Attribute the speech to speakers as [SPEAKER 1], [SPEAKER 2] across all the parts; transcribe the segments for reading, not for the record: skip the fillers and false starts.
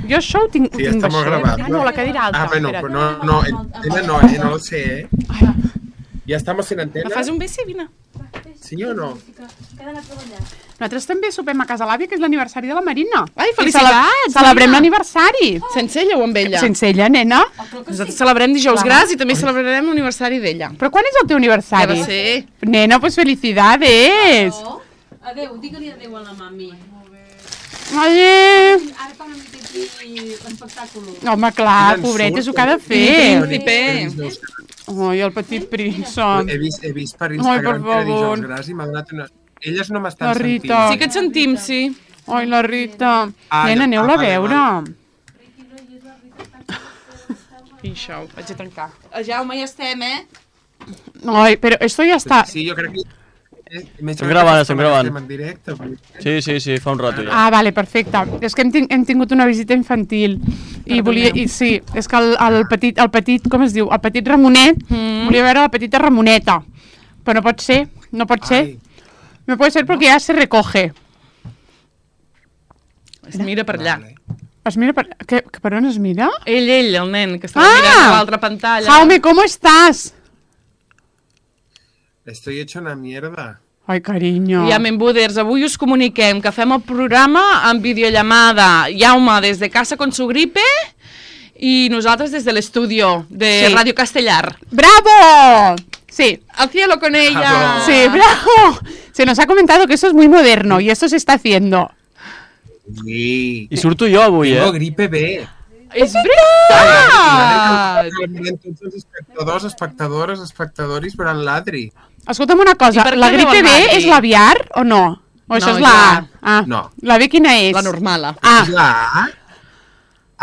[SPEAKER 1] Jo això ho tinc
[SPEAKER 2] Sí, està molt gravat.
[SPEAKER 1] No, la cadira alta.
[SPEAKER 2] Bueno, però no lo sé, Ja estamos en antena.
[SPEAKER 3] Me fas un besi, vine.
[SPEAKER 2] Sí o no?
[SPEAKER 1] Nosaltres també sopem a casa l'àvia, que és l'aniversari de la Marina.
[SPEAKER 3] Ai, felicitats!
[SPEAKER 1] Celebrem l'aniversari.
[SPEAKER 3] Sense ella o amb ella?
[SPEAKER 1] Sense ella, nena.
[SPEAKER 3] Nosaltres celebrem dijous gras i també celebrarem l'aniversari d'ella.
[SPEAKER 1] Però quan és el teu aniversari?
[SPEAKER 3] Ja va ser.
[SPEAKER 1] Nena, pues felicidades.
[SPEAKER 4] Adéu, digue-li adéu a la mami.
[SPEAKER 1] Adéu.
[SPEAKER 4] Ara tornem a tenir l'espectacle.
[SPEAKER 1] Home, clar, pobret, és el que ha de fer. Ai, el petit príncep.
[SPEAKER 2] He vist per
[SPEAKER 1] Ai,
[SPEAKER 2] Instagram
[SPEAKER 1] per
[SPEAKER 2] que era
[SPEAKER 1] favor.
[SPEAKER 2] dijous gras i m'ha donat una... Elles no m'estan
[SPEAKER 1] La
[SPEAKER 2] sentint.
[SPEAKER 1] Rita.
[SPEAKER 3] Sí que et sentim, sí.
[SPEAKER 1] Ai, la Rita.
[SPEAKER 2] Ah,
[SPEAKER 1] Nena, aneu-la a
[SPEAKER 2] vale,
[SPEAKER 1] veure.
[SPEAKER 3] I això, vaig a tancar. Jaume, ja estem,
[SPEAKER 1] Ai, però esto ja està...
[SPEAKER 2] Sí, jo crec que...
[SPEAKER 5] Estem gravant.
[SPEAKER 2] Estem en directe.
[SPEAKER 5] Sí, fa un rato ja.
[SPEAKER 1] Ah, vale, perfecte. És que hem tingut una visita infantil i volia... Sí, és que el petit, com es diu? El petit Ramonet, volia veure la petita Ramoneta. Però no pot ser, no pot ser.
[SPEAKER 2] Ai.
[SPEAKER 1] No pot ser perquè ja se recoge.
[SPEAKER 3] Es mira per allà.
[SPEAKER 2] Vale.
[SPEAKER 1] Es mira per... Per on es mira?
[SPEAKER 3] Ell, el nen, que estava mirant a l'altra pantalla.
[SPEAKER 1] Jaume, ¿cómo estás?
[SPEAKER 2] Estoy hecho una mierda.
[SPEAKER 1] Ai, cariño.
[SPEAKER 3] Ja, Membuders, avui us comuniquem que fem el programa en videollamada. Jaume des de casa con su gripe i nosaltres des de l'estudio de
[SPEAKER 1] Sí.
[SPEAKER 3] Radio Castellar.
[SPEAKER 1] ¡Bravo! Sí,
[SPEAKER 3] Al cielo con ella.
[SPEAKER 2] Bravo.
[SPEAKER 1] sí, bravo. Se nos ha comentado que eso es muy moderno y eso se está haciendo.
[SPEAKER 2] Sí.
[SPEAKER 5] I surto jo avui,
[SPEAKER 2] Tengo gripe B.
[SPEAKER 3] És veritat!
[SPEAKER 2] Tots els espectadors veran l'Adri.
[SPEAKER 1] Escolta'm una
[SPEAKER 3] I
[SPEAKER 1] cosa,
[SPEAKER 3] per què
[SPEAKER 1] la gripe
[SPEAKER 3] diuen
[SPEAKER 1] B
[SPEAKER 3] Adri?
[SPEAKER 1] és l'aviar o no? O això
[SPEAKER 3] No,
[SPEAKER 1] és la
[SPEAKER 3] ja.
[SPEAKER 1] A? Ah,
[SPEAKER 2] No.
[SPEAKER 1] La B quina és?
[SPEAKER 3] La normala.
[SPEAKER 1] Ah,
[SPEAKER 2] És la A?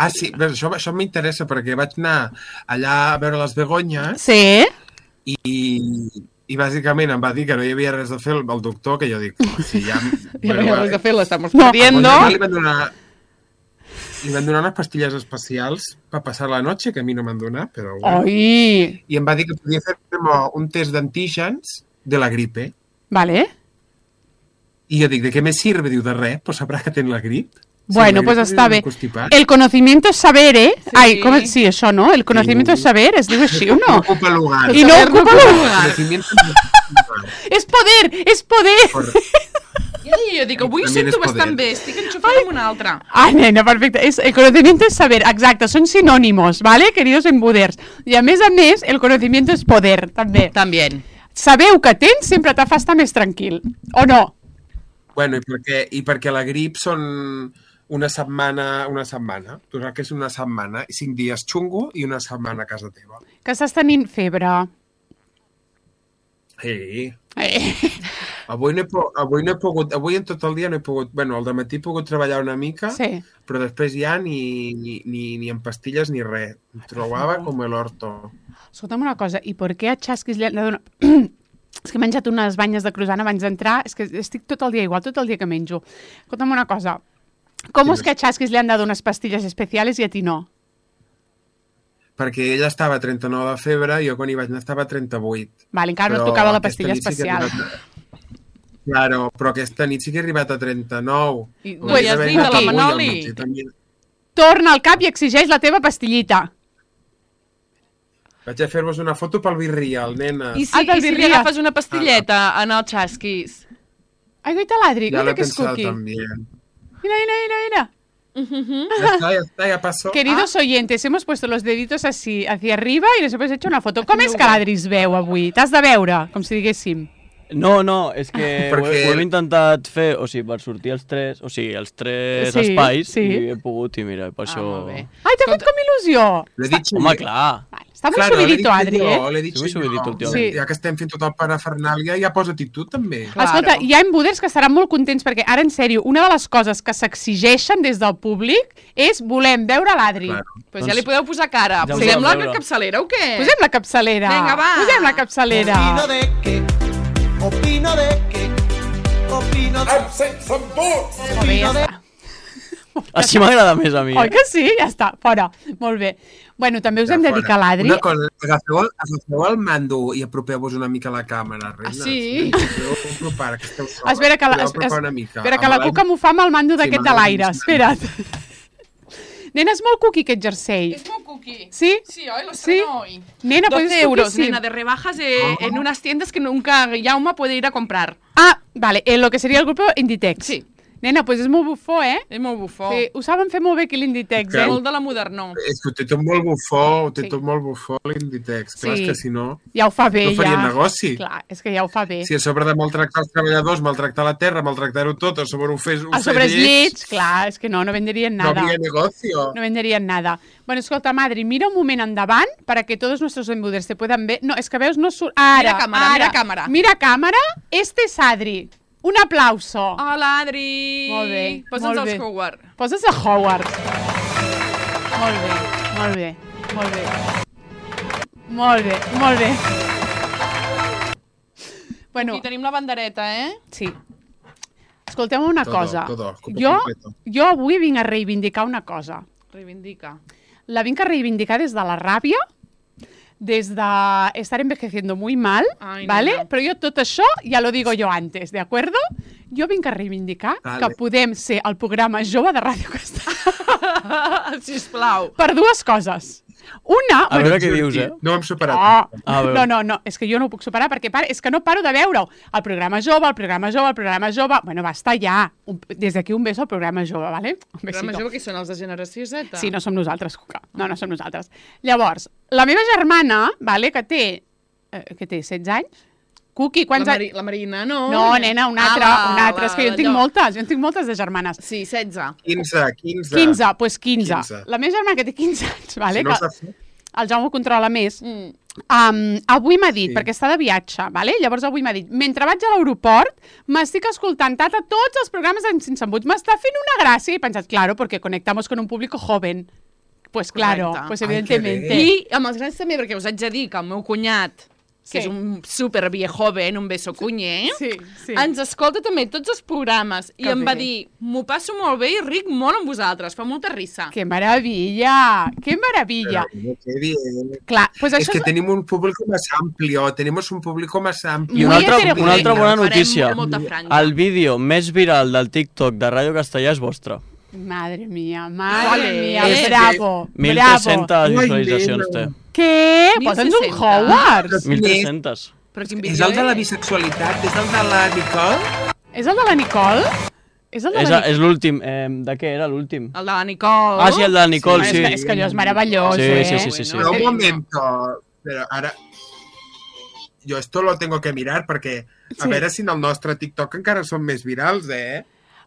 [SPEAKER 2] Ah, sí, bé, això m'interessa perquè vaig anar allà a veure les begonyes
[SPEAKER 1] sí.
[SPEAKER 2] i bàsicament em va dir que no hi havia res a fer el doctor, que jo dic, si ja...
[SPEAKER 3] Ja no hi ha res a fer, l'estamos
[SPEAKER 1] No.
[SPEAKER 3] perdiendo.
[SPEAKER 2] Li van donar unes pastilles especials per passar la noche, que a mi no m'han donat, però bueno.
[SPEAKER 1] Ai,
[SPEAKER 2] I em va dir que podia fer-me un test d'antígens de la gripe.
[SPEAKER 1] vale.
[SPEAKER 2] I jo dic, ¿de qué me sirve? Diu, de res, pues sabrà que ten la grip.
[SPEAKER 1] Bueno, pues està bé. El conocimiento es saber, ¿eh?
[SPEAKER 3] Sí.
[SPEAKER 1] Ai, com... Sí, això, no? El conocimiento es saber, es diu així o no?
[SPEAKER 2] No ocupa lugar.
[SPEAKER 1] I no ocupa lugar.
[SPEAKER 2] Conocimiento...
[SPEAKER 1] És poder, és poder.
[SPEAKER 3] Jo dic, avui ho
[SPEAKER 2] També
[SPEAKER 3] sento
[SPEAKER 2] és poder.
[SPEAKER 3] bastant bé, estic enxufada amb una altra.
[SPEAKER 1] Ai, nena, perfecte. El conocimiento es saber, exacte, són sinònimos, ¿vale? Queridos embuders. I a més, el conocimiento es poder, també.
[SPEAKER 3] També.
[SPEAKER 1] Sabeu que tens sempre te fa estar més tranquil, o no?
[SPEAKER 2] Bueno, i perquè la grip són una setmana. Tu saps que és una setmana, 5 dies xungo i una setmana a casa teva.
[SPEAKER 1] Que estàs tenint febre.
[SPEAKER 2] Sí. Avui en tot el dia no he pogut... Bueno, al dematí he pogut treballar una mica,
[SPEAKER 1] Sí.
[SPEAKER 2] però després ja ni amb pastilles ni res. Em trobava com el orto.
[SPEAKER 1] Escolta'm una cosa, i per què a Xasquis li han de donar... És que he menjat unes banyes de croissant abans d'entrar, és que estic tot el dia igual, tot el dia que menjo. Escolta'm una cosa, com és que a Xasquis li han de donar unes pastilles especials i a ti no?
[SPEAKER 2] Perquè ella estava a 39 de febre i jo quan hi vaig anar estava a 38.
[SPEAKER 1] Vale, encara no
[SPEAKER 2] Però
[SPEAKER 1] et tocava la
[SPEAKER 2] aquesta
[SPEAKER 1] pastilla
[SPEAKER 2] nit sí que he
[SPEAKER 1] especial.
[SPEAKER 2] Claro, però aquesta nit sí que he arribat a 39.
[SPEAKER 3] I
[SPEAKER 2] Ho
[SPEAKER 3] no
[SPEAKER 2] vaig
[SPEAKER 3] hi has
[SPEAKER 2] haver
[SPEAKER 3] dit de la
[SPEAKER 2] agafat avui al
[SPEAKER 3] Manoli.
[SPEAKER 2] matí, també.
[SPEAKER 1] Torna al cap i exigeix la teva pastillita.
[SPEAKER 2] Vaig a fer-vos una foto pel Virreal, nena.
[SPEAKER 3] I
[SPEAKER 1] Ah,
[SPEAKER 3] si,
[SPEAKER 1] del
[SPEAKER 3] i si li
[SPEAKER 1] birria.
[SPEAKER 3] agafes una pastilleta en el xasquis?
[SPEAKER 1] Ai, goita ladri,
[SPEAKER 2] Ya lo
[SPEAKER 1] mira
[SPEAKER 2] he
[SPEAKER 1] que es
[SPEAKER 2] pensado
[SPEAKER 1] cookie.
[SPEAKER 2] también.
[SPEAKER 1] Mira.
[SPEAKER 2] Ya está, ya pasó.
[SPEAKER 1] Queridos oyentes, hemos puesto los deditos así, hacia arriba y les hemos hecho una foto. Com és que l'Adri es veu avui? T'has de veure, com si diguéssim.
[SPEAKER 5] No, és que
[SPEAKER 2] Perquè-
[SPEAKER 5] ho hem intentat fer, o sigui, per sortir els tres
[SPEAKER 1] Sí,
[SPEAKER 5] espais,
[SPEAKER 1] sí.
[SPEAKER 5] i he pogut, i mira, per això...
[SPEAKER 3] molt bé.
[SPEAKER 1] Ai, t'ha fet com il·lusió.
[SPEAKER 2] Le he dicho
[SPEAKER 5] Home, clar.
[SPEAKER 1] Vale, està molt
[SPEAKER 2] Claro,
[SPEAKER 1] subidito, Adri,
[SPEAKER 2] le he dicho
[SPEAKER 5] Sí, muy subidito
[SPEAKER 2] yo.
[SPEAKER 5] últimament.
[SPEAKER 1] Sí.
[SPEAKER 2] Ja que estem fent tot el parafernàlia, ja posa-t'hi tu també.
[SPEAKER 3] Claro.
[SPEAKER 1] Escolta, hi ha embuders que estaran molt contents perquè ara, en sèrio, una de les coses que s'exigeixen des del públic és volem veure l'Adri.
[SPEAKER 2] Claro.
[SPEAKER 3] Pues ja li podeu posar cara.
[SPEAKER 5] Ja ho
[SPEAKER 3] Posem la
[SPEAKER 5] podem veure.
[SPEAKER 3] capçalera o què?
[SPEAKER 1] Posem la capçalera.
[SPEAKER 3] Vinga, va.
[SPEAKER 1] Posem la capçalera.
[SPEAKER 6] Opino de que
[SPEAKER 1] Molt bé, ja està.
[SPEAKER 5] Així m'agrada més a mi.
[SPEAKER 1] Oi que sí? Ja està, fora. Molt bé. Bueno, també us hem de dir que l'Adri...
[SPEAKER 2] Una cosa, agafeu el mando i apropeu-vos una mica a la càmera, reines.
[SPEAKER 3] sí?
[SPEAKER 2] Podeu apropar, que esteu soles.
[SPEAKER 1] Espera que la,
[SPEAKER 2] Podeu apropar una mica.
[SPEAKER 1] espera que la Cuca m'ho fa amb el mando
[SPEAKER 2] Sí,
[SPEAKER 1] d'aquest
[SPEAKER 2] amb
[SPEAKER 1] de
[SPEAKER 2] el
[SPEAKER 1] l'aire.
[SPEAKER 2] mando.
[SPEAKER 1] Espera't. Nena, és molt cookie aquest jersei.
[SPEAKER 3] Es muy cookie.
[SPEAKER 1] ¿Sí?
[SPEAKER 3] Sí, hoy lo
[SPEAKER 1] ¿Sí?
[SPEAKER 3] estreno hoy.
[SPEAKER 1] Nena, pues
[SPEAKER 3] 12
[SPEAKER 1] es
[SPEAKER 3] euros,
[SPEAKER 1] cookie, sí.
[SPEAKER 3] nena, de rebajas en unas tiendas que nunca Jaume puede ir a comprar.
[SPEAKER 1] Ah, vale, lo que seria el grup Inditex.
[SPEAKER 3] Sí.
[SPEAKER 1] Nena, pues és molt bufó, eh?
[SPEAKER 3] És molt bufó.
[SPEAKER 1] Sí, ho saben fer molt bé aquí l'Inditex, eh?
[SPEAKER 3] Molt de la modernó.
[SPEAKER 2] És que ho té tot molt bufó,
[SPEAKER 1] Sí.
[SPEAKER 2] l'Inditex. Clar,
[SPEAKER 1] Sí.
[SPEAKER 2] és que si no,
[SPEAKER 1] Ja ho fa bé,
[SPEAKER 2] no faria
[SPEAKER 1] ja.
[SPEAKER 2] negoci.
[SPEAKER 1] Clar, és que ja ho fa bé.
[SPEAKER 2] Si a sobre de maltractar els treballadors, maltractar la terra, maltractar-ho tot, a sobre ho fes
[SPEAKER 1] A sobre els llits, clar, és que no venderían
[SPEAKER 2] no
[SPEAKER 1] nada.
[SPEAKER 2] habría negocio.
[SPEAKER 1] No venderían nada. Bueno, escolta, Madri, mira un moment endavant para que todos nuestros embuders te puedan ver. No, és que veus, no surt... Ara,
[SPEAKER 3] Mira càmera,
[SPEAKER 1] ara.
[SPEAKER 3] mira càmera.
[SPEAKER 1] Mira càmera. Este és Adri. Un aplauso.
[SPEAKER 3] Hola, Adri.
[SPEAKER 1] Molt bé,
[SPEAKER 3] Posa'ns
[SPEAKER 1] molt
[SPEAKER 3] els
[SPEAKER 1] bé.
[SPEAKER 3] Howard.
[SPEAKER 1] Poses a Howard. Molt bé, molt bé, molt bé. Molt bé, molt bé. Bueno,
[SPEAKER 3] Aquí tenim la bandereta, eh?
[SPEAKER 1] sí. Escolteu una cosa.
[SPEAKER 2] Todo, completo.
[SPEAKER 1] Jo avui vinc a reivindicar una cosa.
[SPEAKER 3] Reivindica.
[SPEAKER 1] La vinc a reivindicar des de la ràbia, des de estar envejeciendo muy mal,
[SPEAKER 3] Ai,
[SPEAKER 1] ¿vale?
[SPEAKER 3] nena.
[SPEAKER 1] Però jo tot això ja lo digo yo antes, ¿de acuerdo? Jo vinc a reivindicar
[SPEAKER 2] Vale.
[SPEAKER 1] que podem ser el programa jove de Ràdio Castellà
[SPEAKER 3] Sisplau.
[SPEAKER 1] per dues coses. Una...
[SPEAKER 5] A veure què dius, eh?
[SPEAKER 2] No ho hem superat.
[SPEAKER 1] Oh,
[SPEAKER 5] A veure.
[SPEAKER 1] no, és que jo no ho puc superar perquè és que no paro de veure-ho. El programa jove, el programa jove, el programa jove... Bueno, basta ja. Des d'aquí un beso al programa jove, ¿vale? Un
[SPEAKER 3] Però
[SPEAKER 1] besito.
[SPEAKER 3] major que són els de generació Z.
[SPEAKER 1] Sí, no som nosaltres, Cuca. No som nosaltres. Llavors, la meva germana, vale, que té 16 anys, Cuqui, quants anys...
[SPEAKER 3] La Marina, no.
[SPEAKER 1] No, nena, una altra. És que jo en tinc
[SPEAKER 3] allò.
[SPEAKER 1] moltes, de germanes.
[SPEAKER 3] Sí, 16.
[SPEAKER 2] 15.
[SPEAKER 1] 15, doncs pues 15.
[SPEAKER 2] 15.
[SPEAKER 1] La meva germana que té 15 anys, vale?
[SPEAKER 2] Si no
[SPEAKER 1] que
[SPEAKER 2] s'ha fet.
[SPEAKER 1] el Jaume ho controla més. Avui m'ha dit, perquè està de viatge, vale? Llavors avui m'ha dit, mentre vaig a l'aeroport, m'estic escoltant tata tots els programes en Sense Embuts. M'està fent una gràcia. I he pensat, claro, porque conectamos con un público joven. Pues claro,
[SPEAKER 3] Correcte.
[SPEAKER 1] pues
[SPEAKER 2] Ai, que
[SPEAKER 1] evidentemente.
[SPEAKER 2] bé.
[SPEAKER 3] I amb els grans també, perquè us haig de dir que el meu cunyat, que
[SPEAKER 1] Sí.
[SPEAKER 3] és un super viejoven, un beso cunyé,
[SPEAKER 1] Sí, sí.
[SPEAKER 3] ens escolta també tots els programes i
[SPEAKER 1] Que
[SPEAKER 3] em va
[SPEAKER 1] bé.
[SPEAKER 3] dir, m'ho passo molt bé i ric molt amb vosaltres, fa molta risa.
[SPEAKER 1] ¡Qué maravilla! ¡Qué maravilla!
[SPEAKER 2] Pero, qué bien.
[SPEAKER 1] Clar, pues
[SPEAKER 2] Es
[SPEAKER 1] això
[SPEAKER 2] que
[SPEAKER 1] és...
[SPEAKER 2] tenemos un público más amplio,
[SPEAKER 5] I
[SPEAKER 1] Muy
[SPEAKER 5] una
[SPEAKER 1] heterogènia.
[SPEAKER 5] altra bona
[SPEAKER 3] Farem
[SPEAKER 5] notícia.
[SPEAKER 3] molta franja.
[SPEAKER 5] El vídeo més viral del TikTok de Ràdio Castellà és vostre.
[SPEAKER 1] Madre mía,
[SPEAKER 3] Vale.
[SPEAKER 1] mía,
[SPEAKER 3] És que-
[SPEAKER 1] bravo, bravo.
[SPEAKER 5] 1.300
[SPEAKER 2] Ai,
[SPEAKER 5] visualitzacions té.
[SPEAKER 2] nena.
[SPEAKER 1] Què? Posa'ns un
[SPEAKER 3] 1.060.
[SPEAKER 1] Howards.
[SPEAKER 5] 1.300.
[SPEAKER 3] Però quin
[SPEAKER 2] És
[SPEAKER 3] vídeo
[SPEAKER 2] el de la bisexualitat, és el de la Nicole?
[SPEAKER 1] És el de la Nicole? És el de la Nicole?
[SPEAKER 5] És l'últim. De què era l'últim?
[SPEAKER 3] El de la Nicole.
[SPEAKER 5] Ah, sí, el de la Nicole, sí.
[SPEAKER 1] És que allò és meravellós,
[SPEAKER 5] Sí,
[SPEAKER 1] eh?
[SPEAKER 5] sí.
[SPEAKER 2] Pero un momento, pero ahora... Yo esto lo tengo que mirar perquè a
[SPEAKER 1] Sí.
[SPEAKER 2] veure si en el nostre TikTok encara són més virals, eh?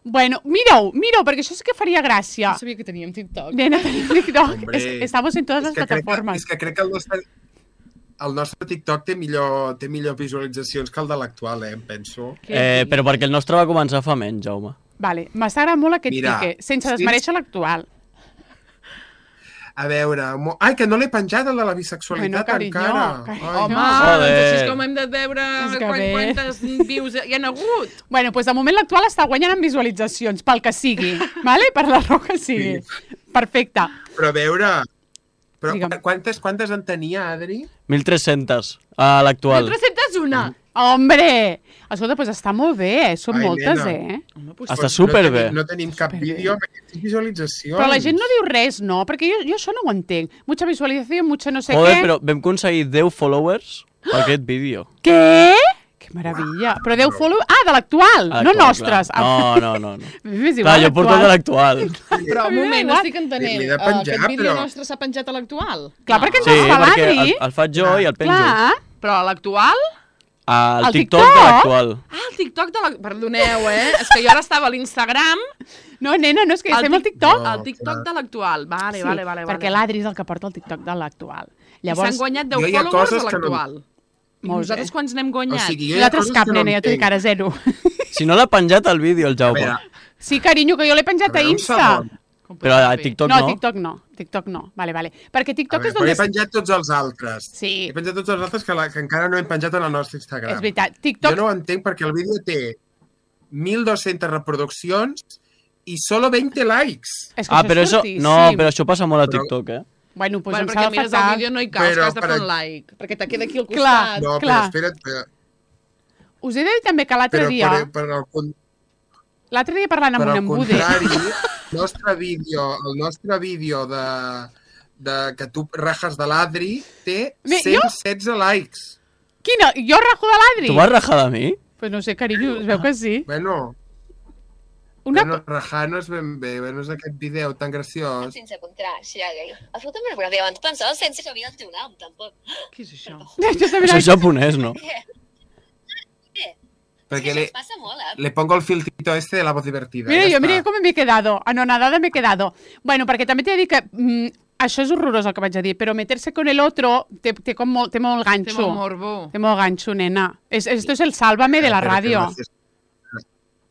[SPEAKER 1] Bueno, mira-ho, perquè això sí que faria gràcia.
[SPEAKER 3] No sabia que teníem TikTok.
[SPEAKER 1] Nena, tenim TikTok.
[SPEAKER 2] Hombre,
[SPEAKER 1] Estamos en todas las
[SPEAKER 2] crec
[SPEAKER 1] plataformas.
[SPEAKER 2] és que crec que el nostre TikTok té millor visualitzacions que el de l'actual, em penso.
[SPEAKER 5] Però perquè el nostre va començar fa menys, Jaume.
[SPEAKER 1] Vale, m'agrada molt aquest
[SPEAKER 2] Mira,
[SPEAKER 1] pique, sense
[SPEAKER 2] sí.
[SPEAKER 1] desmereixer l'actual.
[SPEAKER 2] A veure... Ai, que no l'he penjat, el de la bisexualitat,
[SPEAKER 1] Bueno, carinyo,
[SPEAKER 2] encara.
[SPEAKER 1] carinyo.
[SPEAKER 2] Ai,
[SPEAKER 3] Home,
[SPEAKER 5] Joder.
[SPEAKER 3] doncs així és com hem de veure
[SPEAKER 1] És que bé.
[SPEAKER 3] quantes views hi ha hagut.
[SPEAKER 1] Bueno, doncs de moment l'actual està guanyant en visualitzacions, pel que sigui, vale? Per la raó que sigui. Perfecte.
[SPEAKER 2] Però a veure... Però
[SPEAKER 1] Digue'm.
[SPEAKER 2] quantes en tenia, Adri?
[SPEAKER 5] 1.300 a l'actual.
[SPEAKER 3] 301.
[SPEAKER 1] Hombre! Escolta, doncs està molt bé, són
[SPEAKER 2] Ai,
[SPEAKER 1] moltes,
[SPEAKER 2] nena.
[SPEAKER 1] eh?
[SPEAKER 3] Home, doncs,
[SPEAKER 5] Està superbé.
[SPEAKER 2] No tenim cap vídeo amb aquestes visualitzacions.
[SPEAKER 1] Però la gent no diu res, no? Perquè jo això no ho entenc. Mucha visualització, mucho no sé
[SPEAKER 5] Joder,
[SPEAKER 1] què.
[SPEAKER 5] però vam aconseguir 10 followers per aquest vídeo.
[SPEAKER 1] Què? Que meravella. Però 10 follow... Ah, de l'actual,
[SPEAKER 5] A
[SPEAKER 1] no
[SPEAKER 5] l'actual,
[SPEAKER 1] nostres.
[SPEAKER 5] clar. No.
[SPEAKER 1] M'és
[SPEAKER 5] Clar,
[SPEAKER 1] igual,
[SPEAKER 5] jo porto de l'actual.
[SPEAKER 3] Però un moment, no
[SPEAKER 1] Igual.
[SPEAKER 3] estic entenent.
[SPEAKER 2] L'he de penjar,
[SPEAKER 3] Aquest vídeo
[SPEAKER 2] però-
[SPEAKER 3] nostre s'ha penjat a l'actual?
[SPEAKER 1] Clar, perquè ens
[SPEAKER 5] Sí,
[SPEAKER 1] el fa
[SPEAKER 5] perquè
[SPEAKER 1] l'Adri.
[SPEAKER 5] el faig jo i el penjo.
[SPEAKER 1] Clar.
[SPEAKER 3] Però a l'actual?
[SPEAKER 5] Al
[SPEAKER 1] Al
[SPEAKER 5] TikTok
[SPEAKER 1] TikTok?
[SPEAKER 5] de l'actual.
[SPEAKER 3] Ah, el TikTok de la... Perdoneu, És que jo ara estava a l'Instagram.
[SPEAKER 1] No, nena, no, és que estem al TikTok.
[SPEAKER 2] No,
[SPEAKER 3] El TikTok
[SPEAKER 2] clar.
[SPEAKER 3] de l'actual. Vale, vale.
[SPEAKER 1] perquè l'Adri és el que porta el TikTok de l'actual.
[SPEAKER 3] I s'han guanyat 10
[SPEAKER 2] Jo hi ha
[SPEAKER 3] followers
[SPEAKER 2] coses
[SPEAKER 3] a
[SPEAKER 2] que no-
[SPEAKER 3] l'actual. I
[SPEAKER 1] Molt
[SPEAKER 3] nosaltres
[SPEAKER 1] bé.
[SPEAKER 3] quants n'hem
[SPEAKER 2] O
[SPEAKER 3] guanyat?
[SPEAKER 2] sigui, jo hi ha
[SPEAKER 1] Nosaltres
[SPEAKER 2] coses
[SPEAKER 1] cap,
[SPEAKER 2] que no
[SPEAKER 1] nena, jo t'ho dic
[SPEAKER 2] entenc.
[SPEAKER 1] ara, 0.
[SPEAKER 5] Si no l'ha penjat al vídeo, el
[SPEAKER 2] A
[SPEAKER 5] Jaume.
[SPEAKER 2] veure,
[SPEAKER 1] Sí, carinyo, que jo l'he penjat a
[SPEAKER 2] veure, un
[SPEAKER 1] Insta.
[SPEAKER 2] segon.
[SPEAKER 3] Com pot
[SPEAKER 5] Però a
[SPEAKER 3] ser?
[SPEAKER 5] TikTok
[SPEAKER 1] No,
[SPEAKER 5] no.
[SPEAKER 1] TikTok no. Vale. Perquè
[SPEAKER 2] A
[SPEAKER 1] TikTok
[SPEAKER 2] veure,
[SPEAKER 1] és
[SPEAKER 2] però
[SPEAKER 1] on...
[SPEAKER 2] he penjat tots els altres.
[SPEAKER 1] Sí.
[SPEAKER 2] He penjat tots els altres que encara no hem penjat en el nostre Instagram.
[SPEAKER 1] És veritat. TikTok...
[SPEAKER 2] Jo no ho entenc perquè el vídeo té 1.200 reproduccions i solo 20 likes.
[SPEAKER 1] És que
[SPEAKER 5] Però
[SPEAKER 1] és
[SPEAKER 5] això...
[SPEAKER 1] fortíssim.
[SPEAKER 5] No, però això passa molt a
[SPEAKER 2] Però-
[SPEAKER 5] TikTok, eh?
[SPEAKER 1] Bueno, doncs
[SPEAKER 3] Bueno,
[SPEAKER 1] em
[SPEAKER 3] perquè
[SPEAKER 1] s'ha de
[SPEAKER 3] mires el
[SPEAKER 1] faltar...
[SPEAKER 3] vídeo no hi caus,
[SPEAKER 2] Però,
[SPEAKER 3] que has de fer
[SPEAKER 2] per
[SPEAKER 3] un like. Perquè te queda aquí al
[SPEAKER 1] Clar.
[SPEAKER 3] costat.
[SPEAKER 2] No,
[SPEAKER 1] clar.
[SPEAKER 2] però espera't.
[SPEAKER 1] Us he de dir també que l'altre
[SPEAKER 2] Però
[SPEAKER 1] dia...
[SPEAKER 2] per al
[SPEAKER 1] L'altre dia parlant amb
[SPEAKER 2] per
[SPEAKER 1] un
[SPEAKER 2] al
[SPEAKER 1] embuder...
[SPEAKER 2] contrari, el nostre vídeo de que tu rajes de l'Adri té
[SPEAKER 1] Jo?
[SPEAKER 2] 116 likes.
[SPEAKER 1] Quina? Jo rajo de l'Adri?
[SPEAKER 5] Tu vas rajar de mi?
[SPEAKER 1] Pues no sé, carinyo, es veu que sí.
[SPEAKER 2] Bueno, rajar no és ben bé, no és aquest vídeo tan graciós.
[SPEAKER 6] Sense contracte. Escolta'm, però abans pensava sense que havia el teu nom, tampoc.
[SPEAKER 3] Què és això?
[SPEAKER 1] Jo també
[SPEAKER 5] Això és japonès, no?
[SPEAKER 2] Perquè
[SPEAKER 6] Ens passa molt,
[SPEAKER 2] le pongo el filtrito este de la voz divertida.
[SPEAKER 1] Mira com m'he quedado. Anonadada m'he quedado. Bueno, perquè també t'he de dir que això és horrorós el que vaig a dir, però meterse con el otro té molt ganxo.
[SPEAKER 3] Té molt morbo.
[SPEAKER 1] Té molt ganxo, nena. Esto es el sálvame de la ràdio.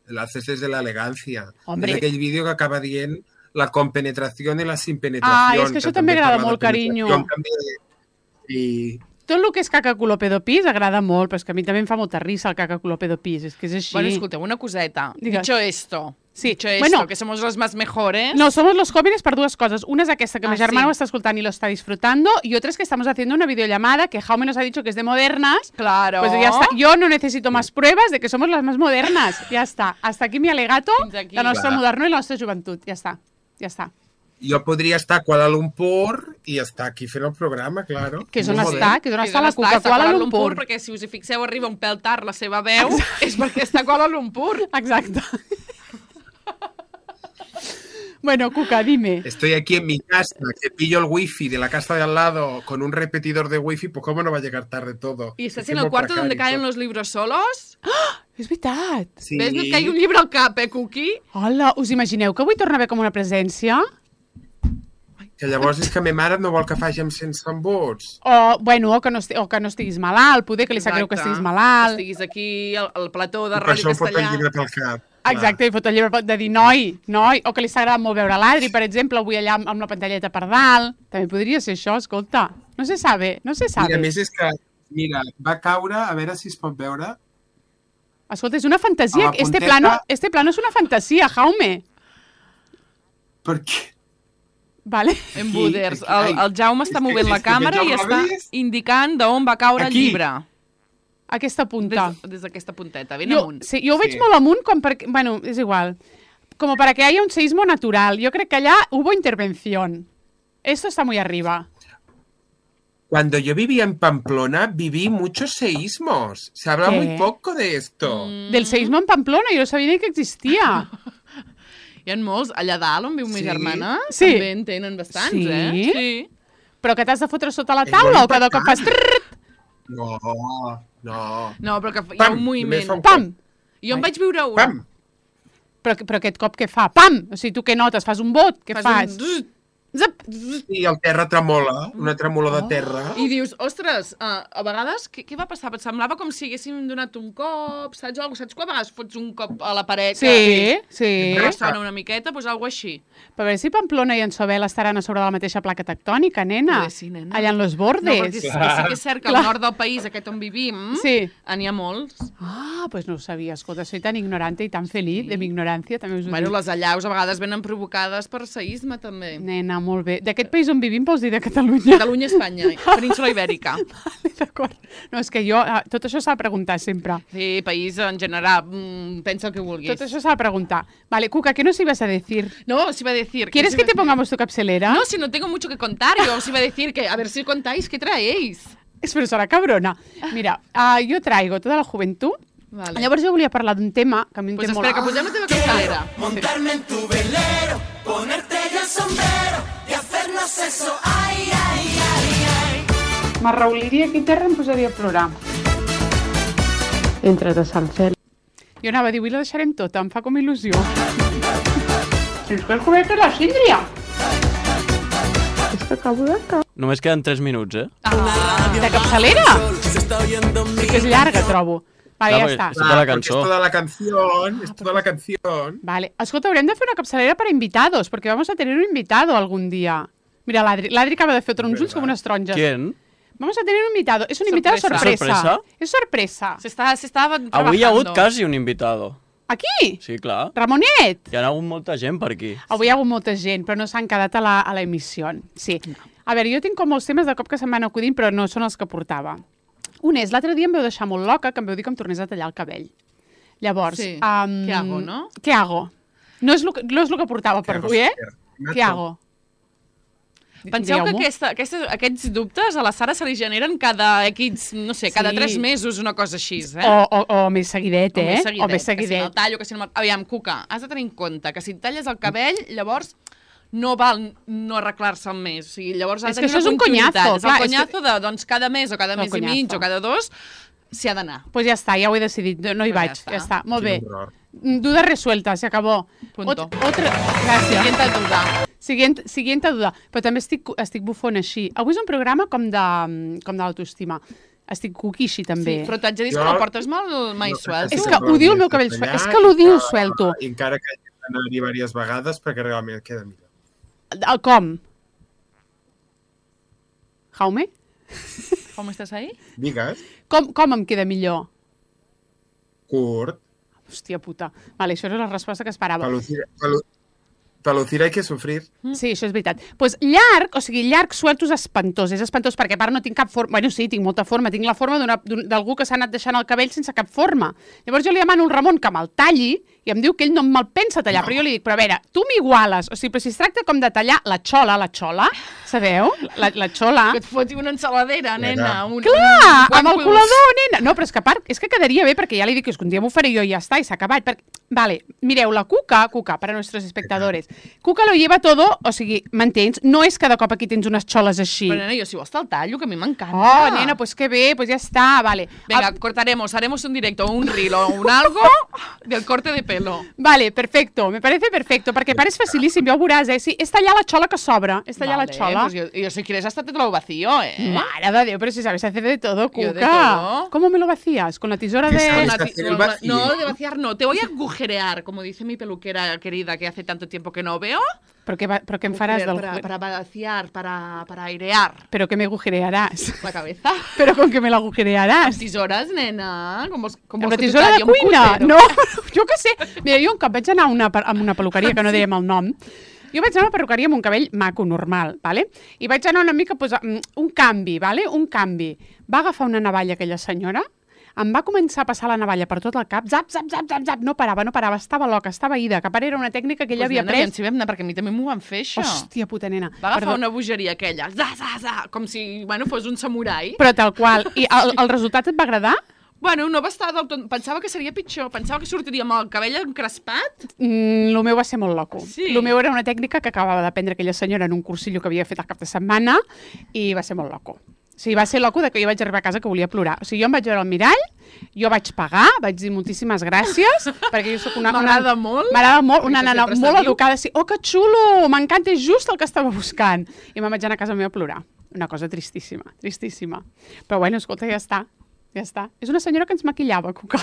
[SPEAKER 2] Lo haces desde la elegancia.
[SPEAKER 1] Hombre.
[SPEAKER 2] És aquell vídeo que acaba dient la compenetració i la simpenetració.
[SPEAKER 1] Ah, és que això també agrada molt, carinyo.
[SPEAKER 2] I...
[SPEAKER 1] Tot el que és caca culo pedo pis agrada molt, però és que a mi també em fa molta risa el caca culo pedo pis, és que és així.
[SPEAKER 3] Bueno, escolteu, una coseta.
[SPEAKER 1] Digues.
[SPEAKER 3] Dicho esto,
[SPEAKER 1] Sí.
[SPEAKER 3] dicho esto,
[SPEAKER 1] Bueno.
[SPEAKER 3] que somos los más mejores.
[SPEAKER 1] No, somos los jóvenes per dues coses. Una és aquesta, que mi germana
[SPEAKER 3] sí.
[SPEAKER 1] ho està escoltant i lo está disfrutando, y otra es que estamos haciendo una videollamada que Jaume nos ha dicho que es de modernas.
[SPEAKER 3] Claro.
[SPEAKER 1] Pues ya está. Yo no necesito más pruebas de que somos las más modernas. Ya está. Hasta aquí mi alegato
[SPEAKER 3] Fins aquí.
[SPEAKER 1] de la nostra
[SPEAKER 2] Clar.
[SPEAKER 1] moderno i la nostra joventut. Ja està. Ja està.
[SPEAKER 2] Jo podria estar a Kuala Lumpur i estar aquí fent el programa, claro.
[SPEAKER 1] Que és on
[SPEAKER 2] Molt
[SPEAKER 1] està?
[SPEAKER 2] bé.
[SPEAKER 1] Que és on
[SPEAKER 3] Que
[SPEAKER 1] està la
[SPEAKER 3] està
[SPEAKER 1] Cuca
[SPEAKER 3] a
[SPEAKER 1] Kuala Lumpur.
[SPEAKER 3] perquè si us hi fixeu arriba un pèl tard la seva veu, és perquè està a Kuala Lumpur.
[SPEAKER 1] Exacte. Bueno, Cuca, dime.
[SPEAKER 2] Estoy aquí en mi casa, que pillo el wifi de la casa de al lado con un repetidor de wifi, pues cómo no va a llegar tarde todo.
[SPEAKER 3] I estàs
[SPEAKER 2] Es
[SPEAKER 3] en el
[SPEAKER 2] molt
[SPEAKER 3] cuarto donde
[SPEAKER 2] precari
[SPEAKER 3] caen
[SPEAKER 2] tot.
[SPEAKER 3] los libros solos?
[SPEAKER 1] És veritat.
[SPEAKER 2] Sí.
[SPEAKER 3] Ves, no et caigui un llibre al cap, Cookie?
[SPEAKER 1] Hola, us imagineu que avui torna a haver com una presència?
[SPEAKER 2] Que llavors és que ma mare no vol que faci amb sense embuts.
[SPEAKER 1] O, bueno, o que no estiguis malalt, poder que li sap greu que estiguis malalt.
[SPEAKER 3] Estiguis aquí al plató de
[SPEAKER 2] I per
[SPEAKER 3] Ràdio
[SPEAKER 2] això em fot el
[SPEAKER 3] Castellà.
[SPEAKER 2] llibre pel cap.
[SPEAKER 1] Exacte, i fot el llibre de dir noi, o que li s'agrada molt veure l'Adri, per exemple, avui allà amb la pantalleta per dalt. També podria ser això, escolta. No se sabe, no se sabe.
[SPEAKER 2] Mira, a més és que, va caure, a veure si es pot veure.
[SPEAKER 1] Escolta, és una fantasia.
[SPEAKER 2] A la punteta-
[SPEAKER 1] Este plano és una fantasia, Jaume.
[SPEAKER 2] Perquè...
[SPEAKER 1] Vale.
[SPEAKER 3] En
[SPEAKER 2] Aquí,
[SPEAKER 3] Buders.
[SPEAKER 2] aquí,
[SPEAKER 3] El Jaume està movent la càmera i està indicant d'on va caure el
[SPEAKER 2] Aquí.
[SPEAKER 3] llibre.
[SPEAKER 1] Aquesta punta.
[SPEAKER 3] Des d'aquesta punteta, ben
[SPEAKER 1] Jo,
[SPEAKER 3] amunt.
[SPEAKER 1] sí, jo ho veig
[SPEAKER 2] Sí.
[SPEAKER 1] molt amunt, com perquè... Bueno, és igual. Como para que haya un seísmo natural. Yo creo que allá hubo intervención. Esto está muy arriba.
[SPEAKER 2] Cuando yo vivía en Pamplona, viví muchos seísmos. Se habla
[SPEAKER 1] ¿Qué?
[SPEAKER 2] muy poco de esto.
[SPEAKER 1] Del seísmo en Pamplona, yo no sabia ni que existia.
[SPEAKER 3] Hi ha molts. Allà dalt, on viu ma
[SPEAKER 2] Sí.
[SPEAKER 3] germana,
[SPEAKER 1] Sí.
[SPEAKER 3] també en tenen bastants,
[SPEAKER 1] Sí?
[SPEAKER 3] eh? Sí.
[SPEAKER 1] Però que t'has de fotre sota la
[SPEAKER 2] És
[SPEAKER 1] taula
[SPEAKER 2] molt
[SPEAKER 1] o cada cop fas...
[SPEAKER 2] important.
[SPEAKER 1] trrrt,
[SPEAKER 2] No, no.
[SPEAKER 3] No, però que hi ha
[SPEAKER 2] Pam,
[SPEAKER 3] un
[SPEAKER 2] només
[SPEAKER 3] moviment.
[SPEAKER 2] fa un
[SPEAKER 1] Pam!
[SPEAKER 3] Jo en vaig viure un.
[SPEAKER 2] Pam!
[SPEAKER 1] Però aquest cop què fa? Pam! O sigui, tu què notes? Fas un vot? Què fas?
[SPEAKER 3] Un...
[SPEAKER 1] Zap!
[SPEAKER 2] I el terra tremola, una tremolor de terra.
[SPEAKER 3] I dius, ostres, a vegades, què va passar? Et semblava com si haguéssim donat un cop, saps? O saps quan a vegades fots un cop a la paret?
[SPEAKER 1] Sí, sí.
[SPEAKER 3] Que ressona una miqueta, doncs alguna així.
[SPEAKER 1] Però a veure si Pamplona i en Sobel estaran a sobre de la mateixa placa tectònica, nena.
[SPEAKER 3] Poder sí, nena.
[SPEAKER 1] Allà en los
[SPEAKER 3] No,
[SPEAKER 1] bordes.
[SPEAKER 3] perquè sí que és cert que al nord del país, aquest on vivim,
[SPEAKER 1] Sí.
[SPEAKER 3] n'hi ha molts.
[SPEAKER 1] Ah, pues no ho sabia. Escolta, soy tan ignorante y tan feliz de mi ignorància, també us ho
[SPEAKER 3] Bueno,
[SPEAKER 1] dic.
[SPEAKER 3] les allaus a vegades venen provocades per seisme, també.
[SPEAKER 1] Nena, molt bé. D'aquest país on vivim vols dir de Catalunya?
[SPEAKER 3] Catalunya, Espanya, península Ibèrica.
[SPEAKER 1] Vale, d'acord. No, és que jo... Tot això s'ha de preguntar sempre.
[SPEAKER 3] Sí, país en general, pensa el que vulguis.
[SPEAKER 1] Tot això s'ha de preguntar. Vale, Cuca, ¿qué nos ibas a decir?
[SPEAKER 3] No, os iba a decir...
[SPEAKER 1] ¿Quieres
[SPEAKER 3] os
[SPEAKER 1] que
[SPEAKER 3] iba
[SPEAKER 1] te
[SPEAKER 3] a decir-
[SPEAKER 1] pongamos tu capselera?
[SPEAKER 3] No, si no tengo mucho que contar, yo os iba a decir que a ver si contáis qué traéis.
[SPEAKER 1] Espera, serà cabrona. Mira, jo traigo tota la joventut.
[SPEAKER 3] Vale.
[SPEAKER 1] Llavors jo volia parlar d'un tema que a mi em
[SPEAKER 3] Pues
[SPEAKER 1] té molt...
[SPEAKER 3] espera, que posem la teva capçalera.
[SPEAKER 7] Montarme en tu velero, ponerte yo el sombrero y hacernos eso, ay, ay, ay, ay.
[SPEAKER 1] M'arrauliria aquí a terra i em posaria a plorar. Entre de Sant Fel. Jo anava a dir, avui la deixarem tota, em fa com il·lusió. Ens cal comer la síndria. És que acabo de cap.
[SPEAKER 5] Només queden 3 minuts, eh?
[SPEAKER 1] De capçalera? Sí que és llarga, trobo. Vale, ja
[SPEAKER 5] Clar,
[SPEAKER 1] està.
[SPEAKER 5] perquè és tota la
[SPEAKER 2] Porque
[SPEAKER 5] cançó.
[SPEAKER 2] es toda la canción, es toda la canción.
[SPEAKER 1] Vale. Escolta, haurem de fer una capçalera para invitados, porque vamos a tener un invitado algún día. Mira, l'Adri acaba de fer uns ulls com unes taronges.
[SPEAKER 5] ¿Quién?
[SPEAKER 1] Vamos a tener un invitado. Es un invitado
[SPEAKER 3] Sorpresa.
[SPEAKER 1] sorpresa.
[SPEAKER 5] ¿Sorpresa?
[SPEAKER 1] Es sorpresa.
[SPEAKER 3] Se estava trabajando.
[SPEAKER 5] Avui hi ha hagut quasi un invitado.
[SPEAKER 1] Aquí?
[SPEAKER 5] Sí, clar.
[SPEAKER 1] Ramonet?
[SPEAKER 5] Hi ha hagut molta gent per aquí.
[SPEAKER 1] Avui hi ha hagut molta gent, però no s'han quedat a la emissió. Sí. A veure, jo tinc com molts temes de cop que se'm van acudint, però no són els que portava. Un és, l'altre dia em veu deixar molt loca, que em veu dir que em tornés a tallar el cabell. Llavors...
[SPEAKER 3] Sí. ¿Qué hago, no?
[SPEAKER 1] ¿Qué hago? No és el que portava per avui, Què hago?
[SPEAKER 3] Penseu que aquests dubtes a la Sara se li generen cada cada 3 mesos, una cosa així,
[SPEAKER 1] O més seguidet,
[SPEAKER 3] O més seguidet. Que si no el tallo, que si no... Aviam, Cuca, has de tenir en compte que si et talles el cabell, llavors no val no arreglar-se el mes. O sigui, llavors ha de tenir una continuïtat. És el conyazo de, doncs, cada mes o cada mes i mig o cada 2 s'hi ha d'anar.
[SPEAKER 1] Pues ja està, ja ho he decidit, no hi vaig, ja està, molt bé. Duda resuelta, se acabó.
[SPEAKER 3] Punto.
[SPEAKER 1] Gràcies. Siguiente duda. Però també estic bufona així. Avui és un programa com de l'autoestima. Estic cuquixi, també.
[SPEAKER 3] Sí, però t'haig de dir que no portes mai suelto.
[SPEAKER 1] És que odio el meu cabell suelto. És que l'odio suelto.
[SPEAKER 2] I encara que hagi d'anar-hi diverses vegades perquè realment queda millor.
[SPEAKER 1] Com? Jaume?
[SPEAKER 3] Com estàs ahí?
[SPEAKER 2] Digues.
[SPEAKER 1] Com em queda millor?
[SPEAKER 2] Curt.
[SPEAKER 1] Hòstia puta. Vale, això era la resposta que esperava.
[SPEAKER 2] Pelucir hay que sufrir.
[SPEAKER 1] Sí, això és veritat. Doncs llarg suelto és espantós perquè a part no tinc cap forma. Bueno, sí, tinc molta forma. Tinc la forma d'algú que s'ha anat deixant el cabell sense cap forma. Llavors jo li demano al Ramon que me'l talli i em diu que ell no me'l pensa tallar, però jo li dic, però a veure, tu m'iguales, o sigui, però si es tracta com de tallar la xola, sabeu? La xola.
[SPEAKER 3] Que et foti una ensaladera, nena.
[SPEAKER 1] Clar, amb el colador, nena. No, però és que a part, és que quedaria bé, perquè ja li dic que un dia m'ho faré jo i ja està, i s'ha acabat. Vale, mireu, la Cuca, para nuestros espectadores, Cuca lo lleva todo, o sigui, m'entens? No és cada cop aquí tens unes xoles així.
[SPEAKER 3] Però, nena, jo si vols te'l tallo, que a mi m'encanta.
[SPEAKER 1] Oh, nena, pues que bé, pues ya está, vale.
[SPEAKER 3] Venga, cortaremos, haremos un directo, un reel o un algo del corte de pelo.
[SPEAKER 1] Vale, perfecto, me parece perfecto, perquè pare és facilíssim, ja ho veuràs, Sí, és tallar la xola que sobra, és tallar la xola.
[SPEAKER 3] Pues yo si quieres hasta te lo vacío,
[SPEAKER 1] Mare de Déu, pero si sabes hacer de todo, Cuca.
[SPEAKER 3] Yo de todo.
[SPEAKER 1] ¿Cómo me lo vacías? ¿Con la tisora de...?
[SPEAKER 3] No, de vaciar no, te voy a agujerear, como dice mi peluquera querida que hace tanto tiempo que no veo.
[SPEAKER 1] ¿Pero qué me farás?
[SPEAKER 3] Para vaciar, para airear.
[SPEAKER 1] ¿Pero qué me agujerearás?
[SPEAKER 3] La cabeza.
[SPEAKER 1] ¿Pero con qué me la agujerearás?
[SPEAKER 3] Tisoras, nena. Com
[SPEAKER 1] la tisora de cuina? No, jo què sé. Mira, jo un cop vaig anar a una peluqueria, que no dèiem el nom, jo vaig anar a una perruqueria amb un cabell maco, normal, ¿vale? I vaig anar una mica, pues, un canvi, ¿vale? Un canvi. Va agafar una navalla aquella senyora, em va començar a passar la navalla per tot el cap, zap, zap, zap, zap, zap, no parava, estava loca, estava ida, que a part era una tècnica que ella havia pres.
[SPEAKER 3] Doncs, nena, vam anar, perquè a mi també m'ho van fer, això.
[SPEAKER 1] Hòstia puta, nena.
[SPEAKER 3] Va agafar una bogeria aquella, com si, fos un samurai.
[SPEAKER 1] Però tal qual. I el resultat et va agradar?
[SPEAKER 3] Bueno, no va estar del tot... Pensava que seria pitjor. Pensava que sortiria amb el cabell encrespat.
[SPEAKER 1] Lo meu va ser molt loco.
[SPEAKER 3] Sí.
[SPEAKER 1] Lo meu era una tècnica que acabava d'aprendre aquella senyora en un cursillo que havia fet el cap de setmana i va ser molt loco. O sigui, va ser loco que jo vaig arribar a casa que volia plorar. O sigui, jo em vaig veure al mirall, jo vaig pagar, vaig dir moltíssimes gràcies, perquè jo soc una...
[SPEAKER 3] M'agrada molt.
[SPEAKER 1] M'agrada molt, una nana molt educada. Sí, oh, que xulo, m'encanta, és just el que estava buscant. I me'n vaig anar a casa meva a plorar. Una cosa tristíssima, tristíssima. Però bueno, escolta, ja està. Ja està. És una senyora que ens maquillava, Cuca.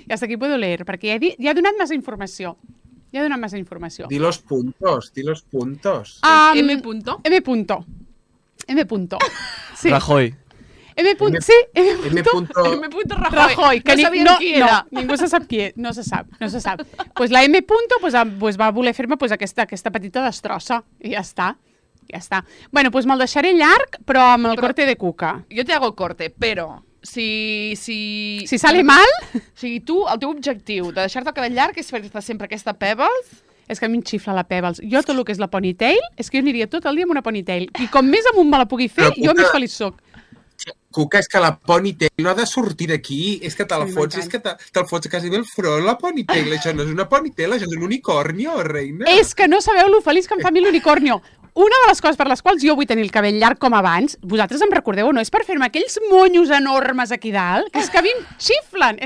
[SPEAKER 1] I hasta aquí puedo leer, perquè ja he donat massa informació.
[SPEAKER 2] Di los puntos.
[SPEAKER 3] M punto.
[SPEAKER 1] M punto. Sí.
[SPEAKER 5] Rajoy.
[SPEAKER 1] M punto Rajoy.
[SPEAKER 3] Que no sabíem qui era.
[SPEAKER 1] No, ningú se sap qui és. No se sap. Pues la M punto pues va voler fer-me pues, aquesta petita destrossa. I ja està. Bueno, pues me'l deixaré llarg, però amb el corte de Cuca.
[SPEAKER 3] Jo te hago el corte, però si
[SPEAKER 1] sale mal...
[SPEAKER 3] O sigui, tu, el teu objectiu de deixar-te el cabell llarg és fer-te sempre aquesta Pebbles...
[SPEAKER 1] És que a mi em xifla la Pebbles. Jo tot el que és la ponytail, és que jo aniria tot el dia amb una ponytail. I com més amunt me la pugui fer, jo més feliç soc.
[SPEAKER 2] Cuca, és que la ponytail no ha de sortir d'aquí. És que te'l fots quasi bé al front, la ponytail. Això no és una ponytail, això és un unicornio, reina.
[SPEAKER 1] És que no sabeu lo feliç que em fa a mi l'unicornio. Una de les coses per les quals jo vull tenir el cabell llarg com abans, vosaltres em recordeu o no, és per fer-me aquells monyos enormes aquí dalt, que és que a mi em xiflen,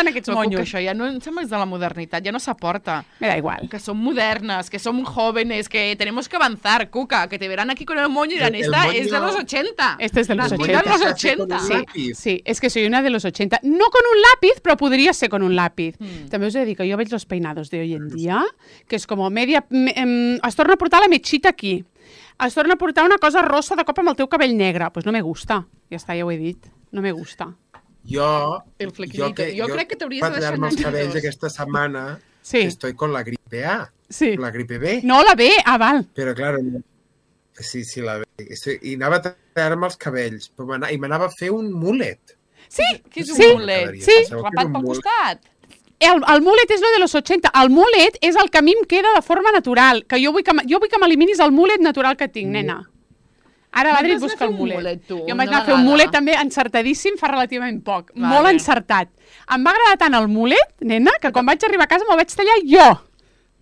[SPEAKER 1] aquests monyos.
[SPEAKER 3] Que això ja no em sembla de la modernitat, ja no s'aporta.
[SPEAKER 1] Me da igual.
[SPEAKER 3] Que som modernes, que som jóvenes, que tenemos que avanzar, Cuca, que te verán aquí con el moño y dirán, esta es de los 80.
[SPEAKER 1] Este es de los 80.
[SPEAKER 3] De los 80.
[SPEAKER 1] Sí, es que soy una de los 80. No con un lápiz, però podria ser con un lápiz. També us he de dir que jo veig los peinados de hoy en dia, que és com media... es torna a portar la mechita aquí. Es torna a portar una cosa rossa de cop amb el teu cabell negre. Pues no me gusta. Ja està, ja ho he dit. No me gusta.
[SPEAKER 2] Jo
[SPEAKER 3] crec que t'hauries de deixar
[SPEAKER 2] tallar-me els cabells aquesta setmana, estoy con la gripe A.
[SPEAKER 1] Sí.
[SPEAKER 2] La gripe B.
[SPEAKER 1] No, la B, val.
[SPEAKER 2] Però, claro, sí, la B. I anava a tallar-me els cabells, i m'anava a fer un mulet.
[SPEAKER 1] Sí,
[SPEAKER 3] què és un mulet?
[SPEAKER 1] Sí.
[SPEAKER 3] Rapat pel costat?
[SPEAKER 1] El mulet és lo de los 80. El mulet és el que a mi em queda de forma natural. Que jo vull que m'eliminis el mulet natural que tinc, nena. Ara l'Adri et busca el mulet. Jo em vaig anar a fer un mulet també encertadíssim fa relativament poc. Molt encertat. Em va agradar tant el mulet, nena, que quan vaig arribar a casa me'l vaig tallar jo.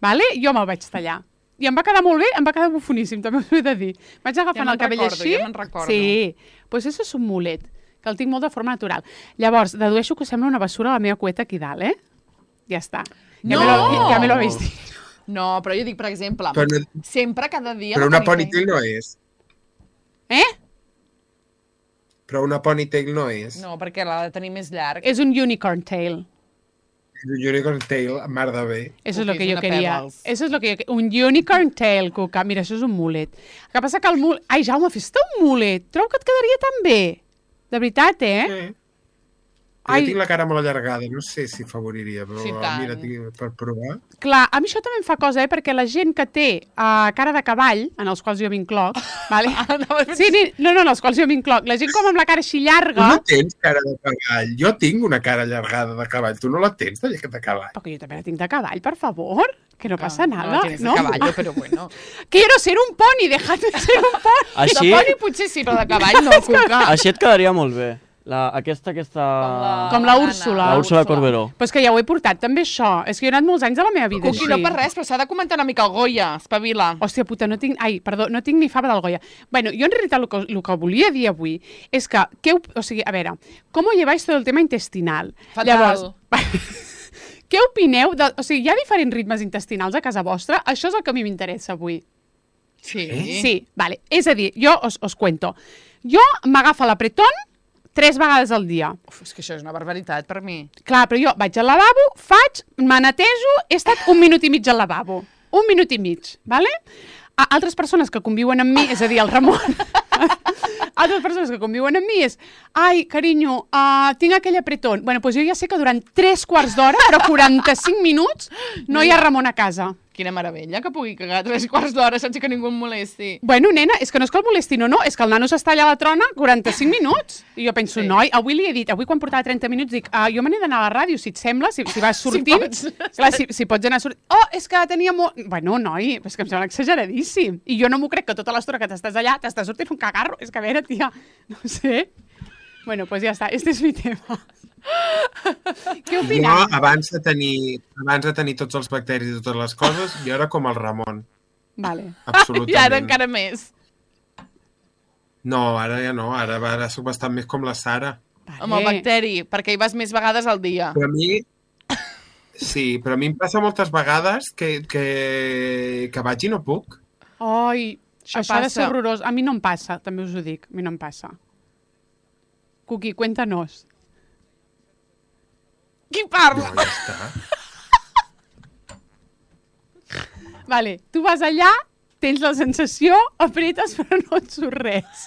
[SPEAKER 1] Vale? Jo me'l vaig tallar. I em va quedar molt bé, em va quedar bufoníssim, també us ho he de dir. Vaig agafant el cabell així.
[SPEAKER 3] Ja me'n recordo.
[SPEAKER 1] Sí, doncs això és un mulet, que el tinc molt de forma natural. Llavors, dedueixo que sembla una bessura la meva cueta aquí dalt, Ja està. Ja me lo habéis dit.
[SPEAKER 3] No, però jo dic, per exemple, sempre cada dia...
[SPEAKER 2] Però una ponytail no és. Però una ponytail no és.
[SPEAKER 3] No, perquè l'ha de tenir més llarg.
[SPEAKER 1] És un unicorn tail.
[SPEAKER 2] És un unicorn tail, mar de bé.
[SPEAKER 1] Eso es lo que yo quería. Eso es lo que yo quería. Un unicorn tail, Cuca. Mira, això és un mulet. El que passa que el mulet... Ai, Jaume, fes-te un mulet. Trobo que et quedaria tan bé. De veritat,
[SPEAKER 2] Sí. Jo tinc la cara molt allargada, no sé si favoriria, però mira, per provar.
[SPEAKER 1] Clar, a mi això també em fa cosa, perquè la gent que té cara de cavall, en els quals jo m'incloc, vale? Sí, no, en els quals jo m'incloc, la gent com amb la cara així llarga...
[SPEAKER 2] Tu no tens cara de cavall, jo tinc una cara allargada de cavall, tu no la tens de cavall.
[SPEAKER 1] Però que jo també la tinc de cavall, per favor, que no passa nada,
[SPEAKER 3] no? No de caballo, però bueno.
[SPEAKER 1] Quiero ser un poni, déjate ser un poni.
[SPEAKER 5] Així...
[SPEAKER 3] De poni potser sí, però de cavall no, Cuca.
[SPEAKER 5] Així et quedaria molt bé. Aquesta...
[SPEAKER 1] Com la Úrsula.
[SPEAKER 5] La Úrsula Corberó.
[SPEAKER 1] Però és que ja ho he portat, també això. És que jo he anat molts anys de la meva vida
[SPEAKER 3] Cuqui, no per res, però s'ha de comentar una mica el Goya, espavila.
[SPEAKER 1] Hòstia puta, no tinc ni fava del Goya. Bueno, jo en realitat el que volia dir avui és que, a veure, com lleváis todo el tema intestinal?
[SPEAKER 3] Fatal.
[SPEAKER 1] Llavors, què opineu? O sigui, hi ha diferents ritmes intestinals a casa vostra? Això és el que a mi m'interessa avui.
[SPEAKER 3] Sí.
[SPEAKER 1] Sí, vale. És a dir, jo us cuento. Jo m'agafa l'apretón 3 vegades al dia.
[SPEAKER 3] Uf, és que això és una barbaritat per mi.
[SPEAKER 1] Clar, però jo vaig al lavabo, me netejo, he estat 1 minut i mig al lavabo. 1 minut i mig, vale? Altres persones que conviuen amb mi, és a dir, el Ramon, altres persones que conviuen amb mi és ai, carinyo, tinc aquell apretón. Bueno, doncs jo ja sé que durant 3/4 d'hora, però 45 minuts, no hi ha Ramon a casa.
[SPEAKER 3] Quina meravella que pugui cagar 3/4 d'hora sense que ningú em molesti.
[SPEAKER 1] Bueno, nena, és que no és que el molestin o no, és que el nano s'està allà a la trona 45 minuts. I jo penso, noi, avui li he dit, avui quan portava 30 minuts, dic, jo me n'he d'anar a la ràdio, si et sembla, si vas sortint. Clar, si pots anar sortint. Oh, és que tenia molt... Bueno, noi, és que em sembla exageradíssim. I jo no m'ho crec que tota l'estona que t'estàs allà t'estàs sortint un cagarro. És que, a veure, tia, no sé. Bueno, pues ja està, este és mi tema. Què opineu?
[SPEAKER 2] Jo, abans de tenir tots els bacteris i totes les coses, jo era com el Ramon.
[SPEAKER 1] Vale.
[SPEAKER 2] Absolutament.
[SPEAKER 3] I ara encara més.
[SPEAKER 2] No, ara ja no, ara soc bastant més com la Sara.
[SPEAKER 3] Vale. Amb el bacteri, perquè hi vas més vegades al dia.
[SPEAKER 2] Però a mi... Sí, però a mi em passa moltes vegades que vaig i no puc.
[SPEAKER 1] Ai, això ha de ser horrorós. A mi no em passa, també us ho dic, a mi no em passa. Cuqui, cuéntanos.
[SPEAKER 3] Qui parla?
[SPEAKER 2] No, ja està.
[SPEAKER 1] Vale, tu vas allà, tens la sensació, apretes però no et surt res.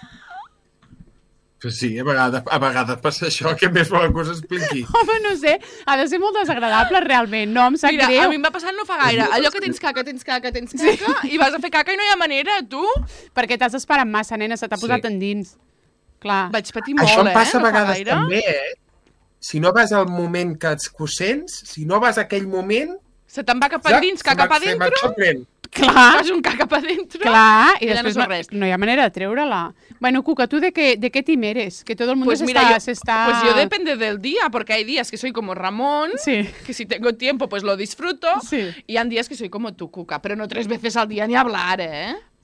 [SPEAKER 2] Però sí, a vegades passa això, que més volen que us expliqui.
[SPEAKER 1] Home, no sé, ha de ser molt desagradable realment, no em sap greu.
[SPEAKER 3] A mi em va passar no fa gaire, allò que tens caca, i vas a fer caca i no hi ha manera, tu?
[SPEAKER 1] Perquè t'has esperat massa, nena, se t'ha posat endins. Clar.
[SPEAKER 3] Vaig patir molt,
[SPEAKER 2] això em passa a
[SPEAKER 3] no
[SPEAKER 2] vegades també, Si no vas al moment que ho sents, si no vas a aquell moment...
[SPEAKER 3] Se te'n va cap a dins, caca pa dentro?
[SPEAKER 1] Clar.
[SPEAKER 3] Fas un caca pa dentro?
[SPEAKER 1] Clar, i després no hi ha manera de treure-la. Bueno, Cuca, ¿tú de qué team eres? Que todo el mundo se está...
[SPEAKER 3] Pues yo depende del día, porque hay días que soy como Ramón, que si tengo tiempo pues lo disfruto, y hay días que soy como tu, Cuca, pero no 3 veces al día ni hablar,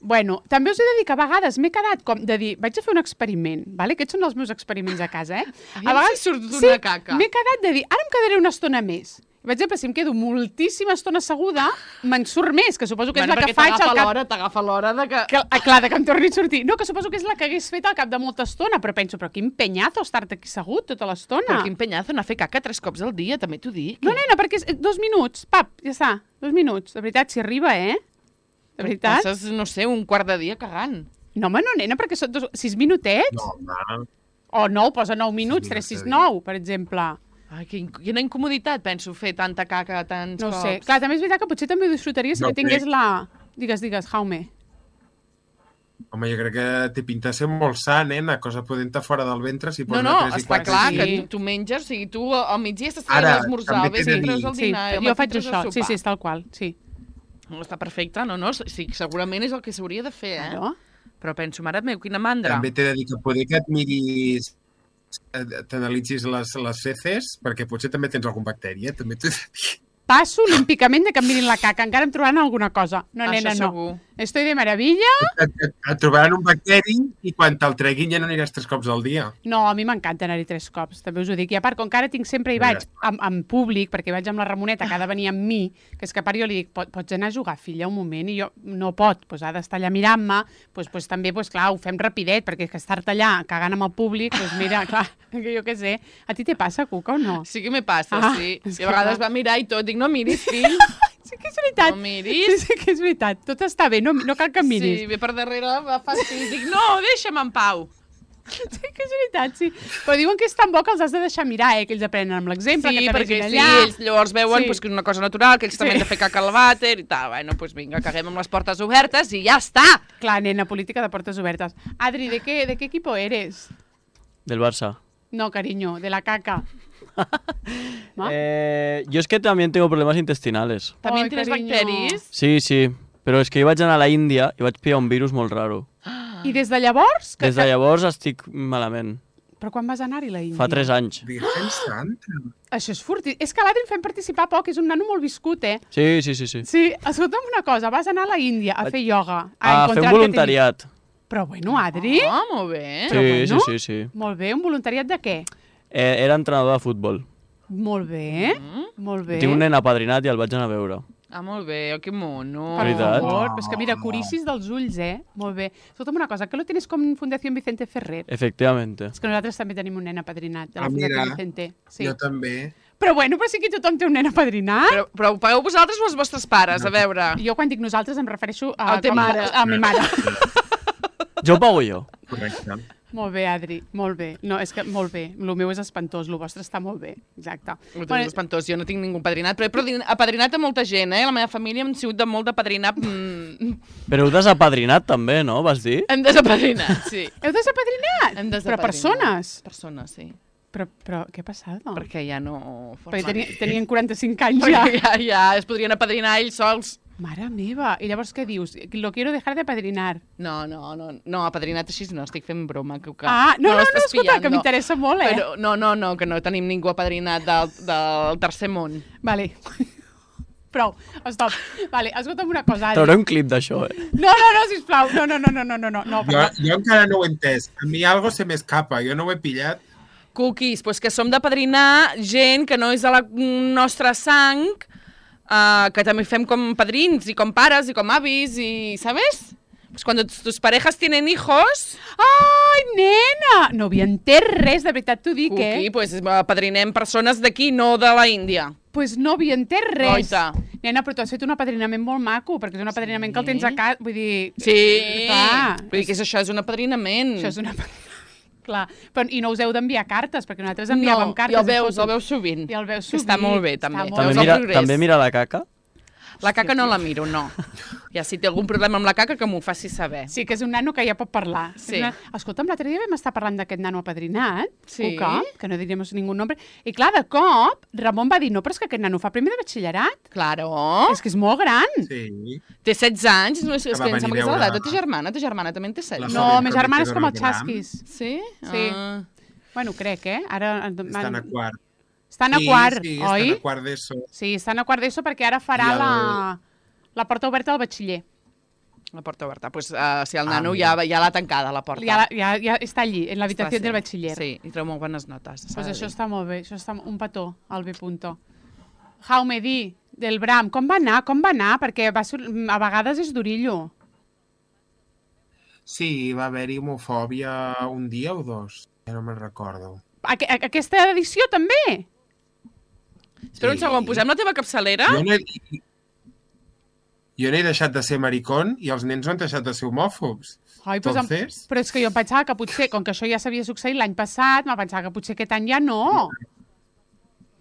[SPEAKER 1] Bueno, també us he de dir que a vegades m'he quedat com de dir, vaig a fer un experiment, vale? Aquests són els meus experiments a casa,
[SPEAKER 3] A vegades surt d'una caca.
[SPEAKER 1] M'he quedat de dir, ara em quedaré una estona més. Per exemple, si em quedo moltíssima estona asseguda, me'n surt més, que suposo que és la que faig al cap...
[SPEAKER 3] T'agafa l'hora de que...
[SPEAKER 1] Clar, de que em torni a sortir. No, que suposo que és la que hagués fet al cap de molta estona, però penso, però quin penyazo estar-te aquí assegut tota l'estona.
[SPEAKER 3] Però quin penyazo anar a fer caca 3 cops al dia, també t'ho dic.
[SPEAKER 1] No, nena, perquè és 2 minuts, pap, ja està, 2 minuts. De veritat, si arriba, De veritat?
[SPEAKER 3] Passes, no sé, un quart de dia cagant.
[SPEAKER 1] No, home, no, nena, perquè són 6 minutets.
[SPEAKER 2] No, home.
[SPEAKER 1] O 9, posa 9 minuts, 3, 6, 9, per exemple.
[SPEAKER 3] Ai, quina incomoditat, penso, fer tanta caca tants cops.
[SPEAKER 1] No sé. Clar, també és veritat que potser també ho disfrutaria si tingués la... Digues, Jaume.
[SPEAKER 2] Home, jo crec que té pinta de ser molt sa, nena, cosa podent fora del ventre si posa
[SPEAKER 3] No,
[SPEAKER 2] 3 i
[SPEAKER 3] està
[SPEAKER 2] 4.
[SPEAKER 3] clar
[SPEAKER 1] sí.
[SPEAKER 3] que tu menges, o sigui, tu al migdia estàs fent
[SPEAKER 2] Ara,
[SPEAKER 3] l'esmorzar,
[SPEAKER 2] també
[SPEAKER 3] al vespre
[SPEAKER 2] t'he de
[SPEAKER 3] treus el
[SPEAKER 1] Sí,
[SPEAKER 3] dinar, i al
[SPEAKER 1] jo faig
[SPEAKER 3] matí treus el
[SPEAKER 1] això. Sí,
[SPEAKER 3] sopar.
[SPEAKER 1] és tal qual, sí.
[SPEAKER 3] No, està perfecte, no? Sí, segurament és el que s'hauria de fer,
[SPEAKER 1] Claro.
[SPEAKER 3] Però penso, mare meva, quina mandra.
[SPEAKER 2] També t'he de dir que poder que et miris, t'analitzis les feces, perquè potser també tens algun bacteri, també t'he de dir.
[SPEAKER 1] Passo olímpicament de que em mirin la caca. Encara em trobaran alguna cosa. No,
[SPEAKER 3] Això
[SPEAKER 1] nena, no.
[SPEAKER 3] segur.
[SPEAKER 1] Estoy de maravilla.
[SPEAKER 2] Et trobaran un bacteri i quan te'l treguin ja no aniràs 3 cops al dia.
[SPEAKER 1] No, a mi m'encanta anar-hi 3 cops, també us ho dic. I a part, com que ara tinc sempre hi vaig en públic, perquè hi vaig amb la Ramoneta, que ha de venir amb mi, que és que a part jo li dic, pots anar a jugar, filla, un moment, i jo no pot, doncs ha d'estar allà mirant-me, doncs també, clar, ho fem rapidet, perquè és que estar-te allà cagant amb el públic, doncs mira, clar, que jo què sé. A ti te passa, Cuca, o no?
[SPEAKER 3] Sí que me passa, sí.
[SPEAKER 1] és
[SPEAKER 3] I a vegades va mirar i tot, dic, no miris, fill.
[SPEAKER 1] Sí que és veritat.
[SPEAKER 3] No miris.
[SPEAKER 1] Sí que és veritat. Tot està bé, no cal que miris.
[SPEAKER 3] Sí, ve per darrere, va fastidi. Dic, no, deixa'm en pau.
[SPEAKER 1] Sí que és veritat, sí. Però diuen que és tan bo que els has de deixar mirar, que ells aprenen amb l'exemple,
[SPEAKER 3] Sí,
[SPEAKER 1] que
[SPEAKER 3] perquè
[SPEAKER 1] t'arribin
[SPEAKER 3] sí,
[SPEAKER 1] allà.
[SPEAKER 3] ells llavors veuen
[SPEAKER 1] Sí.
[SPEAKER 3] pues, que és una cosa natural, que ells també han de fer caca al vàter i tal. Bueno, doncs vinga, caguem amb les portes obertes i ja està.
[SPEAKER 1] Clar, nena, política de portes obertes. Adri, ¿de qué equipo eres?
[SPEAKER 5] Del Barça.
[SPEAKER 1] No, cariño, de la caca. ¿No?
[SPEAKER 5] Yo es que también tengo problemas intestinales.
[SPEAKER 3] També
[SPEAKER 1] Ai,
[SPEAKER 3] tens
[SPEAKER 1] carinyo.
[SPEAKER 3] bacteris.
[SPEAKER 5] Sí, sí. Però és que jo vaig anar a la Índia i vaig pillar un virus molt raro.
[SPEAKER 1] I des de llavors?
[SPEAKER 5] Des de llavors estic malament.
[SPEAKER 1] Però quan vas anar-hi a la Índia?
[SPEAKER 5] Fa 3 anys.
[SPEAKER 2] Virgen Santa.
[SPEAKER 1] Això és furti. És que l'Adri el fem participar poc, és un nano molt viscut, eh?
[SPEAKER 5] Sí, sí, sí, sí.
[SPEAKER 1] Sí, escolta'm una cosa, vas anar a la Índia a fer ioga.
[SPEAKER 5] A fer un voluntariat.
[SPEAKER 1] Però bueno, Adri...
[SPEAKER 3] Ah, molt bé.
[SPEAKER 5] Sí,
[SPEAKER 1] bueno.
[SPEAKER 5] sí, sí, sí.
[SPEAKER 1] Molt bé, un voluntariat de què?
[SPEAKER 5] Era entrenador de futbol.
[SPEAKER 1] Molt bé, molt bé.
[SPEAKER 5] Tinc un nen apadrinat i el vaig anar a veure.
[SPEAKER 3] Ah, molt bé, que mono.
[SPEAKER 1] Per
[SPEAKER 5] Veritat?
[SPEAKER 1] favor, és que mira, curicis dels ulls, eh? Molt bé. Escolta'm una cosa, que lo tienes con Fundació Vicente Ferrer?
[SPEAKER 5] Efectivamente.
[SPEAKER 1] És que nosaltres també tenim un nen apadrinat de la
[SPEAKER 2] Ah,
[SPEAKER 1] Fundació
[SPEAKER 2] mira.
[SPEAKER 1] Vicente. Sí.
[SPEAKER 2] Jo també.
[SPEAKER 1] Però bueno, però sí que tothom té un nen apadrinat.
[SPEAKER 3] Però ho pagueu vosaltres o els vostres pares? A veure.
[SPEAKER 1] Jo quan dic nosaltres em refereixo a...
[SPEAKER 3] Al teu mare.
[SPEAKER 1] A mi mare.
[SPEAKER 5] Jo ho pago jo.
[SPEAKER 2] Correcte.
[SPEAKER 1] Molt bé, Adri, molt bé. No, és que molt bé. El meu és espantós, el vostre està molt bé. Exacte.
[SPEAKER 3] Ho tens espantós, jo no tinc ningú apadrinat, però he apadrinat a molta gent, eh? La meva família hem sigut de molt d'apadrinar...
[SPEAKER 5] Però heu desapadrinat també, no? Vas dir?
[SPEAKER 3] Hem desapadrinat, sí.
[SPEAKER 1] Heu desapadrinat?
[SPEAKER 3] Hem
[SPEAKER 1] Però
[SPEAKER 3] desapadrinat.
[SPEAKER 1] persones?
[SPEAKER 3] Persones, sí.
[SPEAKER 1] Però què ha passat?
[SPEAKER 3] Perquè ja no...
[SPEAKER 1] Perquè tenien 45 anys ja.
[SPEAKER 3] Perquè ja es podrien apadrinar ells sols.
[SPEAKER 1] Mare meva. I llavors què dius? Lo quiero dejar de padrinar.
[SPEAKER 3] No, apadrinat així no, estic fent broma. Que
[SPEAKER 1] No,
[SPEAKER 3] l'estàs
[SPEAKER 1] escolta, que
[SPEAKER 3] pillando.
[SPEAKER 1] m'interessa molt, eh?
[SPEAKER 3] Però, no, que no tenim ningú apadrinat del tercer món.
[SPEAKER 1] Vale. Prou, stop. Vale, escolta'm una cosa, Adri.
[SPEAKER 5] Trauré un clip d'això, eh?
[SPEAKER 1] No, sisplau. No,
[SPEAKER 2] Jo encara no ho he entès. A mi algo se m'escapa, jo no ho he pillat.
[SPEAKER 3] Cookies, doncs que som d'apadrinar gent que no és de la nostra sang, que també fem com padrins i com pares i com avis i, ¿sabes? Pues cuando tus parejas tienen hijos...
[SPEAKER 1] Ai, nena! No havia entès res, de veritat t'ho dic,
[SPEAKER 3] Cookie,
[SPEAKER 1] eh?
[SPEAKER 3] pues apadrinem persones d'aquí, no de la Índia.
[SPEAKER 1] Pues no havia entès res.
[SPEAKER 3] Goita.
[SPEAKER 1] Nena, però tu has fet un apadrinament molt maco, perquè és un apadrinament que el tens a casa, vull dir...
[SPEAKER 3] Sí,
[SPEAKER 1] Clar,
[SPEAKER 3] vull dir que això és un apadrinament.
[SPEAKER 1] Això és una... Clar, però, i no us heu d'enviar cartes, perquè nosaltres enviàvem cartes.
[SPEAKER 3] i el
[SPEAKER 1] i
[SPEAKER 3] veus
[SPEAKER 1] fotos.
[SPEAKER 3] sovint.
[SPEAKER 1] I el veus
[SPEAKER 3] Que està
[SPEAKER 1] sovint.
[SPEAKER 3] molt bé, també.
[SPEAKER 1] Està molt
[SPEAKER 3] Veus
[SPEAKER 1] bé.
[SPEAKER 3] el progrés.
[SPEAKER 5] També mira la caca?
[SPEAKER 3] La caca no la miro, no. Ja si té algun problema amb la caca, que m'ho faci saber.
[SPEAKER 1] Sí, que és un nano que ja pot parlar.
[SPEAKER 3] Sí.
[SPEAKER 1] Escolta'm, l'altre dia vam estar parlant d'aquest nano apadrinat,
[SPEAKER 3] Sí.
[SPEAKER 1] Cuca, que no diríem ningú nombre, i clar, de cop, Ramon va dir, no, però és que aquest nano fa primer de batxillerat.
[SPEAKER 3] Claro.
[SPEAKER 1] És que és molt gran.
[SPEAKER 2] Sí.
[SPEAKER 3] Té 16 anys, no és que
[SPEAKER 2] va
[SPEAKER 3] em
[SPEAKER 2] venir
[SPEAKER 3] sembla que és
[SPEAKER 2] a
[SPEAKER 3] l'edat
[SPEAKER 2] veure-
[SPEAKER 3] de ta germana. Ta germana també en té 16.
[SPEAKER 2] La
[SPEAKER 1] No,
[SPEAKER 2] Fàbrica
[SPEAKER 1] ma germana és
[SPEAKER 2] de
[SPEAKER 1] com el
[SPEAKER 2] Rotterdam.
[SPEAKER 1] Xasquis.
[SPEAKER 3] Sí?
[SPEAKER 1] Sí.
[SPEAKER 3] Ah.
[SPEAKER 1] Bueno, crec, eh? Ara...
[SPEAKER 2] Estan a quart.
[SPEAKER 1] Estan a quart,
[SPEAKER 2] sí,
[SPEAKER 1] oi?
[SPEAKER 2] estan a quart d'ESO.
[SPEAKER 1] Sí, estan a quart d'ESO perquè ara farà
[SPEAKER 2] I el-
[SPEAKER 1] la porta oberta al batxiller.
[SPEAKER 3] La porta oberta. Pues, si el nano
[SPEAKER 2] mira.
[SPEAKER 3] ja l'ha tancada, la porta.
[SPEAKER 1] Ja està allí, en l'habitació
[SPEAKER 3] Està,
[SPEAKER 1] del
[SPEAKER 3] sí.
[SPEAKER 1] batxiller.
[SPEAKER 3] Sí, i treu molt bones notes. s'ha
[SPEAKER 1] Pues
[SPEAKER 3] de
[SPEAKER 1] això
[SPEAKER 3] dir.
[SPEAKER 1] està molt bé, això està un petó, al B punto. Jaume, di, del Bram, com va anar? Perquè a vegades és durillo.
[SPEAKER 2] Sí, va haver-hi homofòbia un dia o dos, ja no me'n recordo.
[SPEAKER 1] Aquesta edició també?
[SPEAKER 3] Espera un segon, posem la teva capçalera?
[SPEAKER 2] Jo no he deixat de ser maricón i els nens no han deixat de ser homòfobs.
[SPEAKER 1] Ai, pues
[SPEAKER 2] Entonces...
[SPEAKER 1] però és que jo em pensava que potser, com que això ja s'havia succeït l'any passat, me pensava que potser aquest any ja no.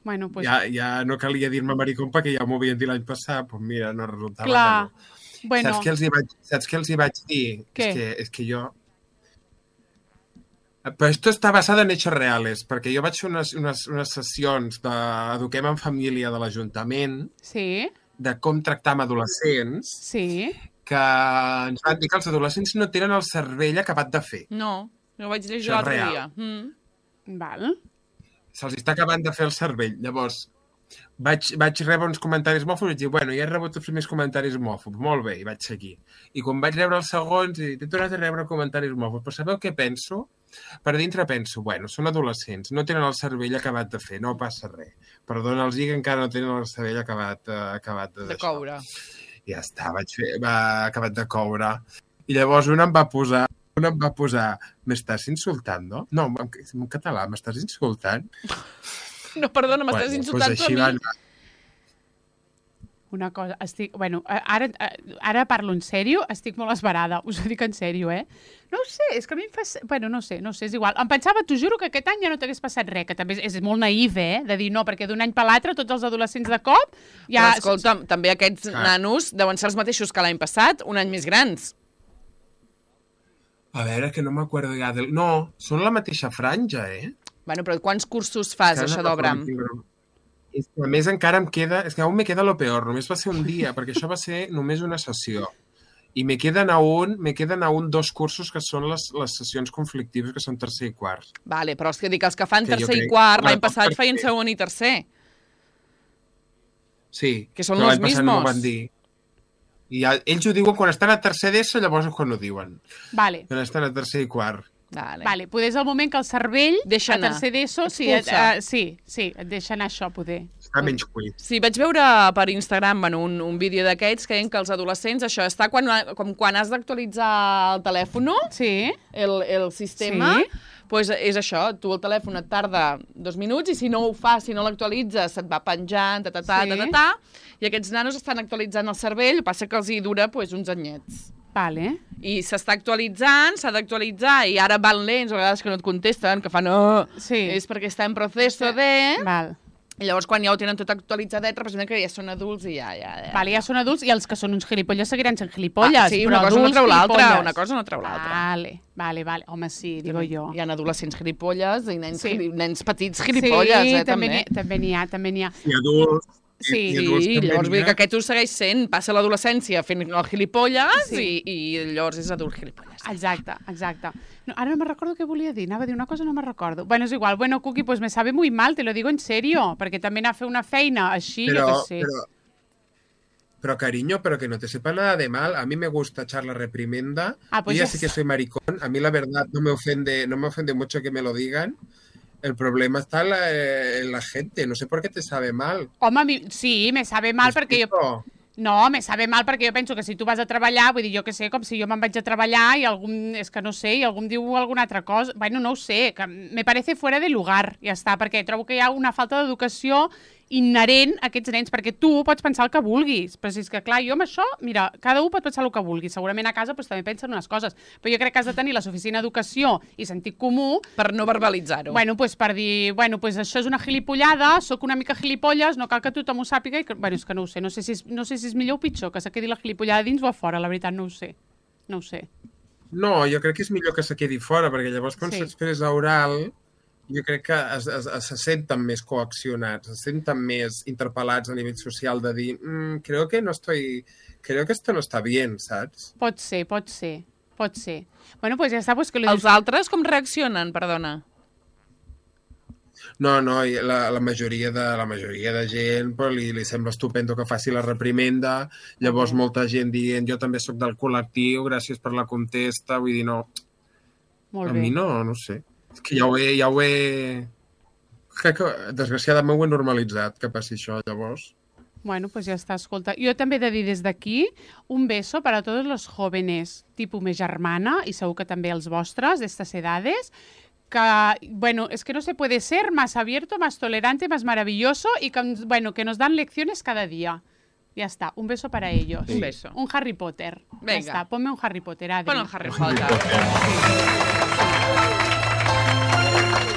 [SPEAKER 1] Bueno, pues...
[SPEAKER 2] Ja no calia dir-me maricón perquè ja m'ho havien dit l'any passat, doncs mira, no resultava
[SPEAKER 1] Clar.
[SPEAKER 2] que no.
[SPEAKER 1] Bueno.
[SPEAKER 2] Saps què els hi vaig dir?
[SPEAKER 1] Què?
[SPEAKER 2] És que jo... Però esto està basado en hechos reales, perquè jo vaig fer unes sessions d'Eduquem en Família de l'Ajuntament,
[SPEAKER 1] Sí,
[SPEAKER 2] de com tractar amb adolescents,
[SPEAKER 1] sí.
[SPEAKER 2] que ens van dir que els adolescents no tenen el cervell acabat de fer.
[SPEAKER 3] No, ho vaig llegir
[SPEAKER 2] Això és
[SPEAKER 3] l'altre
[SPEAKER 2] real.
[SPEAKER 3] dia.
[SPEAKER 1] Val.
[SPEAKER 2] Se'ls està acabant de fer el cervell. Llavors, vaig rebre uns comentaris mòfobs i vaig dir, bueno, ja he rebut els primers comentaris mòfobs, molt bé, i vaig seguir. I quan vaig rebre els segons, he tornat a rebre comentaris mòfobs. Però sabeu què penso? Per dintre penso, bueno, són adolescents, no tenen el cervell acabat de fer, no passa res. Perdona'ls que encara no tenen el cervell acabat
[SPEAKER 3] De coure.
[SPEAKER 2] I ja està, acabat de coure. I llavors un em va posar, m'estàs insultant, no? No, en català, m'estàs insultant?
[SPEAKER 3] No, perdona, m'estàs insultant tu a mi.
[SPEAKER 1] Una cosa, bueno, ara parlo en sèrio, estic molt esbarada, us ho dic en sèrio, No ho sé, és que a mi em fa... Bueno, no sé, és igual. Em pensava, t'ho juro, que aquest any ja no t'hagués passat res, que també és molt naïf, de dir no, perquè d'un any per l'altre tots els adolescents de cop... Ja...
[SPEAKER 3] Però escolta'm, també aquests nanos deuen ser els mateixos que l'any passat, un any més grans.
[SPEAKER 2] A veure, que no m'acuerdo ja del... No, són la mateixa franja,
[SPEAKER 3] Bueno, però quants cursos fas, això d'Obram?
[SPEAKER 2] És que a més encara em queda... És que aún me queda lo peor. Només va ser un dia, perquè això va ser només una sessió. I me queden aún 2 cursos que són les sessions conflictives, que són tercer i quart.
[SPEAKER 3] Vale, però els que fan tercer i quart, l'any passat feien segon i tercer.
[SPEAKER 2] Sí,
[SPEAKER 3] que són los mismos.
[SPEAKER 2] No ho van dir. I ells ho diuen quan estan a tercer d'ESO, llavors és quan ho diuen.
[SPEAKER 1] Vale.
[SPEAKER 2] Quan estan a tercer i quart.
[SPEAKER 1] Vale, poder és el moment que el cervell
[SPEAKER 3] deixa anar.
[SPEAKER 1] A tercer d'ESO sí, et deixa anar això, poder.
[SPEAKER 2] Està menys cuit.
[SPEAKER 3] Sí, vaig veure per Instagram un vídeo d'aquests que deien que els adolescents, això està com quan has d'actualitzar el telèfon, el sistema, pues és això, tu el telèfon et tarda 2 minuts i si no ho fas, si no l'actualitzes, se't va penjant, i aquests nanos estan actualitzant el cervell, passa que els hi dura uns anyets.
[SPEAKER 1] Vale.
[SPEAKER 3] I s'està actualitzant, s'ha d'actualitzar, i ara van lents, a vegades que no et contesten, que fan és perquè està en procés de...
[SPEAKER 1] Val.
[SPEAKER 3] I llavors quan ja ho tenen tot actualitzadet, representa que ja són adults i ja...
[SPEAKER 1] Vale, ja són adults i els que són uns gilipolles seguiran sent gilipolles.
[SPEAKER 3] Sí, una cosa no treu l'altra, una cosa no treu l'altra.
[SPEAKER 1] Vale. Home, sí, digo jo.
[SPEAKER 3] Hi ha adolescents gilipolles i nens petits gilipolles, també.
[SPEAKER 1] Sí, també n'hi ha.
[SPEAKER 2] I adults.
[SPEAKER 3] Sí, llavors vull dir que aquest ho segueix sent, passa l'adolescència fent el gilipolles i llavors és adult gilipolles.
[SPEAKER 1] Exacte. No, ara no me recordo què volia dir, anava a dir una cosa, no me recordo. Bueno, és igual, Cuqui, pues me sabe muy mal, te lo digo en serio, perquè també anar a fer una feina així, jo què sé.
[SPEAKER 2] Pero cariño, pero que no te sepa nada de mal. A mí me gusta echar la reprimenda.
[SPEAKER 1] Pues
[SPEAKER 2] yo ya sé que soy maricón. A mí la verdad no me ofende mucho que me lo digan. El problema está en la gente. No sé por qué te sabe mal.
[SPEAKER 1] Home, sí, me sabe mal perquè jo... No, me sabe mal perquè jo penso que si tu vas a treballar, vull dir, jo que sé, com si jo me'n vaig a treballar i algú, és que no sé, i algú em diu alguna altra cosa, bueno, no ho sé, que me parece fuera de lugar, ja està, perquè trobo que hi ha una falta d'educació inherent a aquests nens, perquè tu pots pensar el que vulguis, però si és que, clar, jo amb això, mira, cada un pot pensar el que vulgui, segurament a casa doncs, també pensen unes coses, però jo crec que has de tenir la suficient educació i sentit comú
[SPEAKER 3] per no verbalitzar-ho.
[SPEAKER 1] Bueno, doncs per dir, bueno, doncs això és una gilipollada, sóc una mica gilipolles, no cal que tothom ho sàpiga, i que, bueno, és que no ho sé, no sé si és millor o pitjor, que se quedi la gilipollada dins o a fora, la veritat no ho sé. No ho sé.
[SPEAKER 2] No, jo crec que és millor que se quedi fora, perquè llavors quan s'expressa oral, jo crec que se senten més coaccionats, se senten més interpel·lats a nivell social de dir creo que esto no está bien, saps?
[SPEAKER 1] Pot ser. Bueno, pues ja està. Pues que
[SPEAKER 3] Els altres com reaccionen, perdona?
[SPEAKER 2] No, la majoria de gent pues, li sembla estupendo que faci la reprimenda, llavors molta gent dient jo també sóc del col·lectiu, gràcies per la contesta, vull dir, no.
[SPEAKER 1] Molt
[SPEAKER 2] bé. A mi no sé. És que ja ho he... Crec que, desgraciadament, ho he normalitzat, que passi això, llavors.
[SPEAKER 1] Bueno, pues ja està, escolta. Jo també he de dir des d'aquí un beso para todos los jóvenes, tipus mi germana, i segur que també els vostres, d'estes edades, que, bueno, es que no se puede ser más abierto, más tolerante, más maravilloso y que, bueno, que nos dan lecciones cada día. Ya está, un beso para ellos.
[SPEAKER 3] Sí. Un beso.
[SPEAKER 1] Un Harry Potter.
[SPEAKER 3] Venga.
[SPEAKER 1] Ya está, ponme un Harry Potter, Adri.
[SPEAKER 3] Pon un Harry Potter.